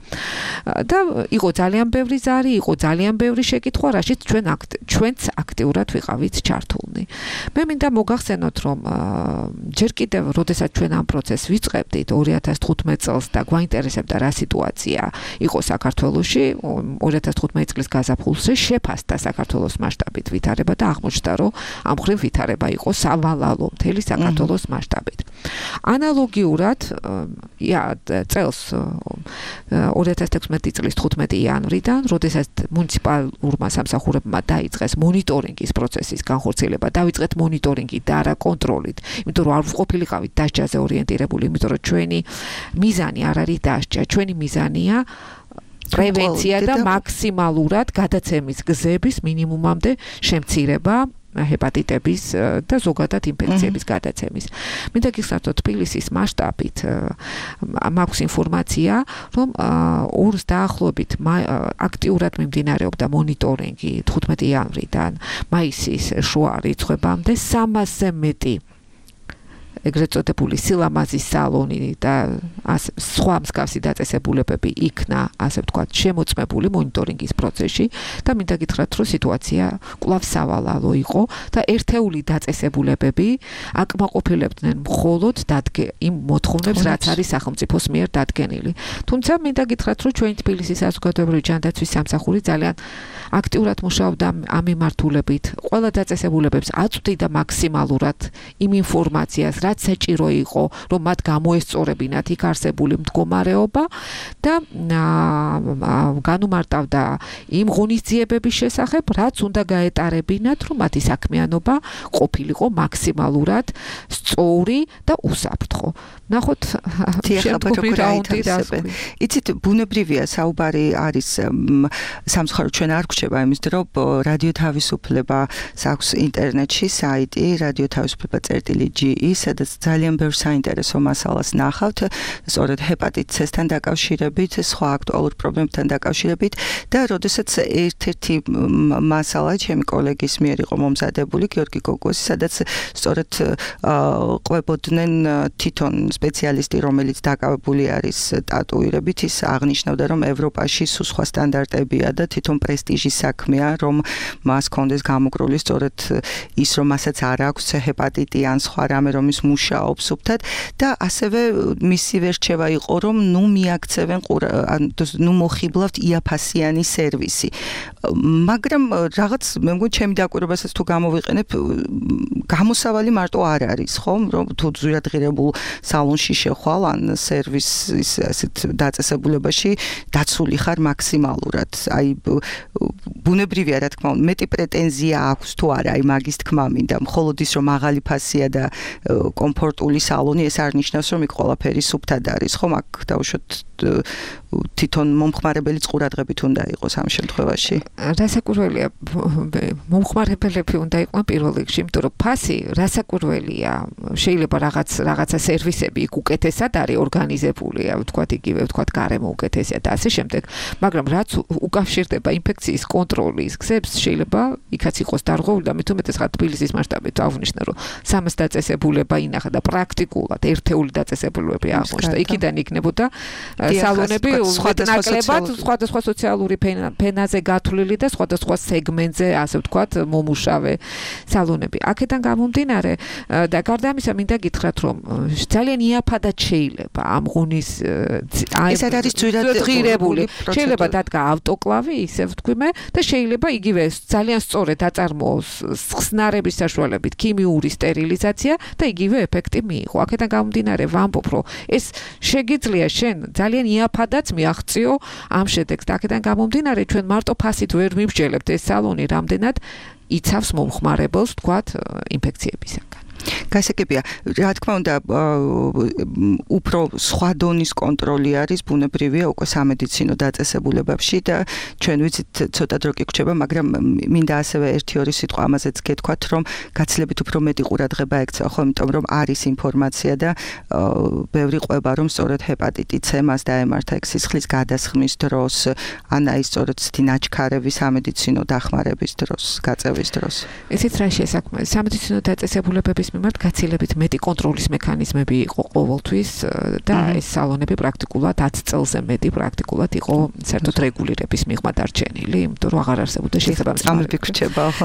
და იყო ძალიან ბევრი ზარი, იყო ძალიან ბევრი შეკითხვა, რაშიც ჩვენც აქტიურად ვიყავით ჩართულნი. მე მინდა მოგახსენოთ, რომ ჯერ კიდევ, როდესაც ჩვენ ამ პროცესს ვიწყებდით 2015 წელს და გვაინტერესებდა რა სიტუაცია იყო საქართველოში, 2015 წლის გაზაფხულზე შეფასდა საქართველოს მასშტაბით ვითარება და აღმოჩნდა, რომ ამ მხრივ ვითარება იყო სავალალო მთელი საქართველოს მასშტაბით. ანალოგიურად წელს 2016 წლის 15 იანვრიდან, როდესაც მუნიციპალურმა სამსახურებმა დაიწყეს მონიტორინგის პროცესის განხორციელება, დავიწყეთ მონიტორინგი და არა კონტროლით, იმიტომ რომ არ ვყოფილიყავით დასჯაზე ორიენტირებული, იმიტომ რომ ჩვენი მიზანი არ არის დასჯა, ჩვენი მიზანია პრევენცია და მაქსიმალურად გადაცემის გზების მინიმუმამდე შემცირება ჰეპატიტების და ზოგადად ინფექციების გადაცემის. მინდა გიხსნათ, თბილისის მასშტაბით მაქვს ინფორმაცია, რომ ორს დაახლოებით აქტიურად მიმდინარეობდა მონიტორინგი 15 იანვრიდან მაისის შუა რიცხვებამდე 300-ზე მეტი ეგრეთ წოდებული სილამაზის სალონი და სხვა მსგავსი დაწესებულებები იქნა, ასე ვთქვათ, შემოწმებული მონიტორინგის პროცესში და მინდა გითხრათ, რომ სიტუაცია კვლავ სავალალო იყო და ერთეული დაწესებულებები აკმაყოფილებდნენ მხოლოდ იმ მოთხოვნებს, რაც არის სახელმწიფოს მიერ დადგენილი. თუმცა მინდა გითხრათ, რომ ჩვენი თბილისის საზოგადოებრივი ჯანდაცვის სამსახური ძალიან აქტიურად მუშაობდა ამ მიმართულებით, ყველა დაწესებულებებს აწვდიდა მაქსიმალურად იმ ინფორმაციას, რაც საჭირო იყო, რომ მათ გამოესწორებინათ იქ არსებული მდგომარეობა და განუმარტავდა იმ ღონისძიებების შესახებ, რაც უნდა გაეტარებინათ, რომ მათი საქმიანობა ყოფილიყო მაქსიმალურად სწორი და უსაფრთხო. ნახოთ, შემდგომი რაუნდი დასკვნა. იცით, ბუნებრივია საუბარი არის სამცხარო ჩვენ არ გვჩება იმის დრო, რადიო თავისუფლებას აქვს ინტერნეტში საიტი radio-tavisufleba.ge, სადაც ძალიან ბევრ საინტერესო მასალას ნახავთ, სწორედ ჰეპატიტ C-სთან დაკავშირებით, სხვა აქტუალურ პრობლემებთან დაკავშირებით და როდესაც ერთ-ერთი მასალა ჩემი კოლეგის მიერ იყო მომზადებული, გიორგი გოგოსი, სადაც სწორედ ყვებოდნენ თვითონ სპეციალისტი, რომელიც დაკავებული არის ტატუირებით, ის აღნიშნავდა, რომ ევროპაში სულ სხვა სტანდარტებია და თვითონ პრესტიჟის საქმეა, რომ მას კონდეს გამოკრული სწორედ ის, რომ მასაც არ აქვს ჰეპატიტი ან სხვა რამე, რომ ის მუშაობს უბთად და ასევე მისი ვერჩევა იყო, რომ მიაქცევენ მოხიბლავთ იაფასიანი სერვისი. მაგრამ რაღაც მე მგონი ჩემი დაკვირვებასაც თუ გამოვიყენებ, გამოსავალი მარტო არ არის, ხომ? რომ თუ ძვირადღირებულ სალონში შეხვალ ან სერვისის ასეთ დაწესებულებაში დაცული ხარ მაქსიმალურად. აი ბუნებრივია, რა თქმა უნდა, მეტი პრეტენზია აქვს თუ არა, აი მაგის თქმა მინდა. მხოლოდ ის რომ მაღალი ფასია და კომფორტული სალონი, ეს არ ნიშნავს, რომ იქ ყველაფერი სუფთად არის, ხომ? აქ დავუშვათ თვითონ მომხმარებელი ყურადღებით უნდა იყოს ამ შემთხვევაში. რასაკვირველია, მომხმარებლები უნდა იყვნენ პირველ რიგში, იმიტომ რომ ფასი რასაკვირველია, შეიძლება რაღაცა სერვისები იქ უკეთესად არის ორგანიზებული, ვთქვათ იგივე, ვთქვათ გარემო უკეთესია და ასე შემდეგ, მაგრამ რაც უკავშირდება ინფექციის კონტროლის გზებს, შეიძლება იქაც იყოს დარღვეული და მით უმეტეს ხარ თბილისის მასშტაბით აღვნიშნე, რომ 300 დაწესებულება ინახა და პრაქტიკულად ერთეული დაწესებულებები აღმოჩნდა. იქიდან იქნებოდა სალონები სხვადასხვა სოციალური ფენაზე გათვლილი და სხვადასხვა სეგმენტზე, ასე ვთქვათ, მომუშავე სალონები. აქედან გამომდინარე და გარდა ამისა მინდა გითხრათ, რომ ძალიან იაფადად შეიძლება ამ ღონის ეს არის ძვირადღირებული, შეიძლება დადგა ავტოკლავი, ისე ვთქვიმე, და შეიძლება იგივე ძალიან სწორედ აწარმოოს ხსნარების საშუალებით ქიმიური სტერილიზაცია და იგივე ეფექტი მიიღო. აქედან გამომდინარე ვამბობ, რომ ეს შეგიძლია შენ ძალიან იაფადაც მიაღწიო ამ შედეგს. აქედან გამომდინარე ჩვენ მარტო ფასით ვერ მივსჯელებთ ეს სალონი რამდენად იცავს მომხმარებელს, თქვათ, ინფექციებისაგან. გასაგებია, რა თქმა უნდა, უფრო სხვა დონის კონტროლი არის ბუნებრივია უკვე სამედიცინო დაწესებულებებში და ჩვენ ვიცით ცოტა დრო კი გვჭება, მაგრამ მინდა ასევე 1-2 სიტყვა ამაზეც გეთქვათ, რომ გაცილებით უფრო მეტი ყურადღება ექცევა, ხო, იმიტომ რომ არის ინფორმაცია და ბევრი ყვება, რომ სწორედ ჰეპატიტი C მას დაემართა სისხლის გადასხმის დროს, ან აი სწორედ ნაჩქარების სამედიცინო დახმარების დროს, გაწევის დროს. ესეც რა შესაქმე, სამედიცინო დაწესებულებების მიმართ გაცილებით მეტი კონტროლის მექანიზმები იყო ყოველთვის და ეს სალონები პრაქტიკულად 10 წელზე მეტი პრაქტიკულად იყო საერთოდ რეგულირების მიღმა დარჩენილი, იმიტომ რომ აღარ არსებობდა შესაბამისი წამები გრჩება ხო.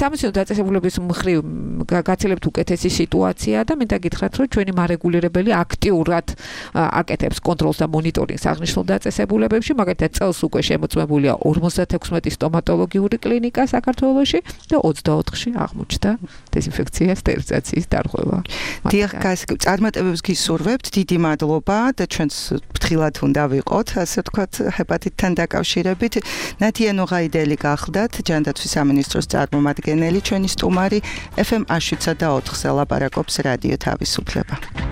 სამედიცინო დაწესებულების მხრივ გაცილებით უკეთესი სიტუაცია და მინდა გითხრათ, რომ ჩვენი მარეგულირებელი აქტიურად აკეთებს კონტროლს და მონიტორინგს აღნიშნულ დაწესებულებებში, მაგალითად წელს უკვე შემოწმებულია 56 სტომატოლოგიური კლინიკა საქართველოში და 24-ში აღმოჩნდა დეზინფექცია, სტერილიზაციის დარღვევა. დიახ, წარმატებებს გისურვებთ, დიდი მადლობა და ჩვენს ფრთხილად უნდა ვიყოთ, ასე ვთქვათ, ჰეპატიტთან დაკავშირებით. ნათია ნუღაიდელი გახლდათ, ჯანდაცვის სამინისტროს წარმომადგენელი, ჩვენი სტუმარი FM 107 და 4-ზე ლაპარაკობს რადიო თავისუფლება.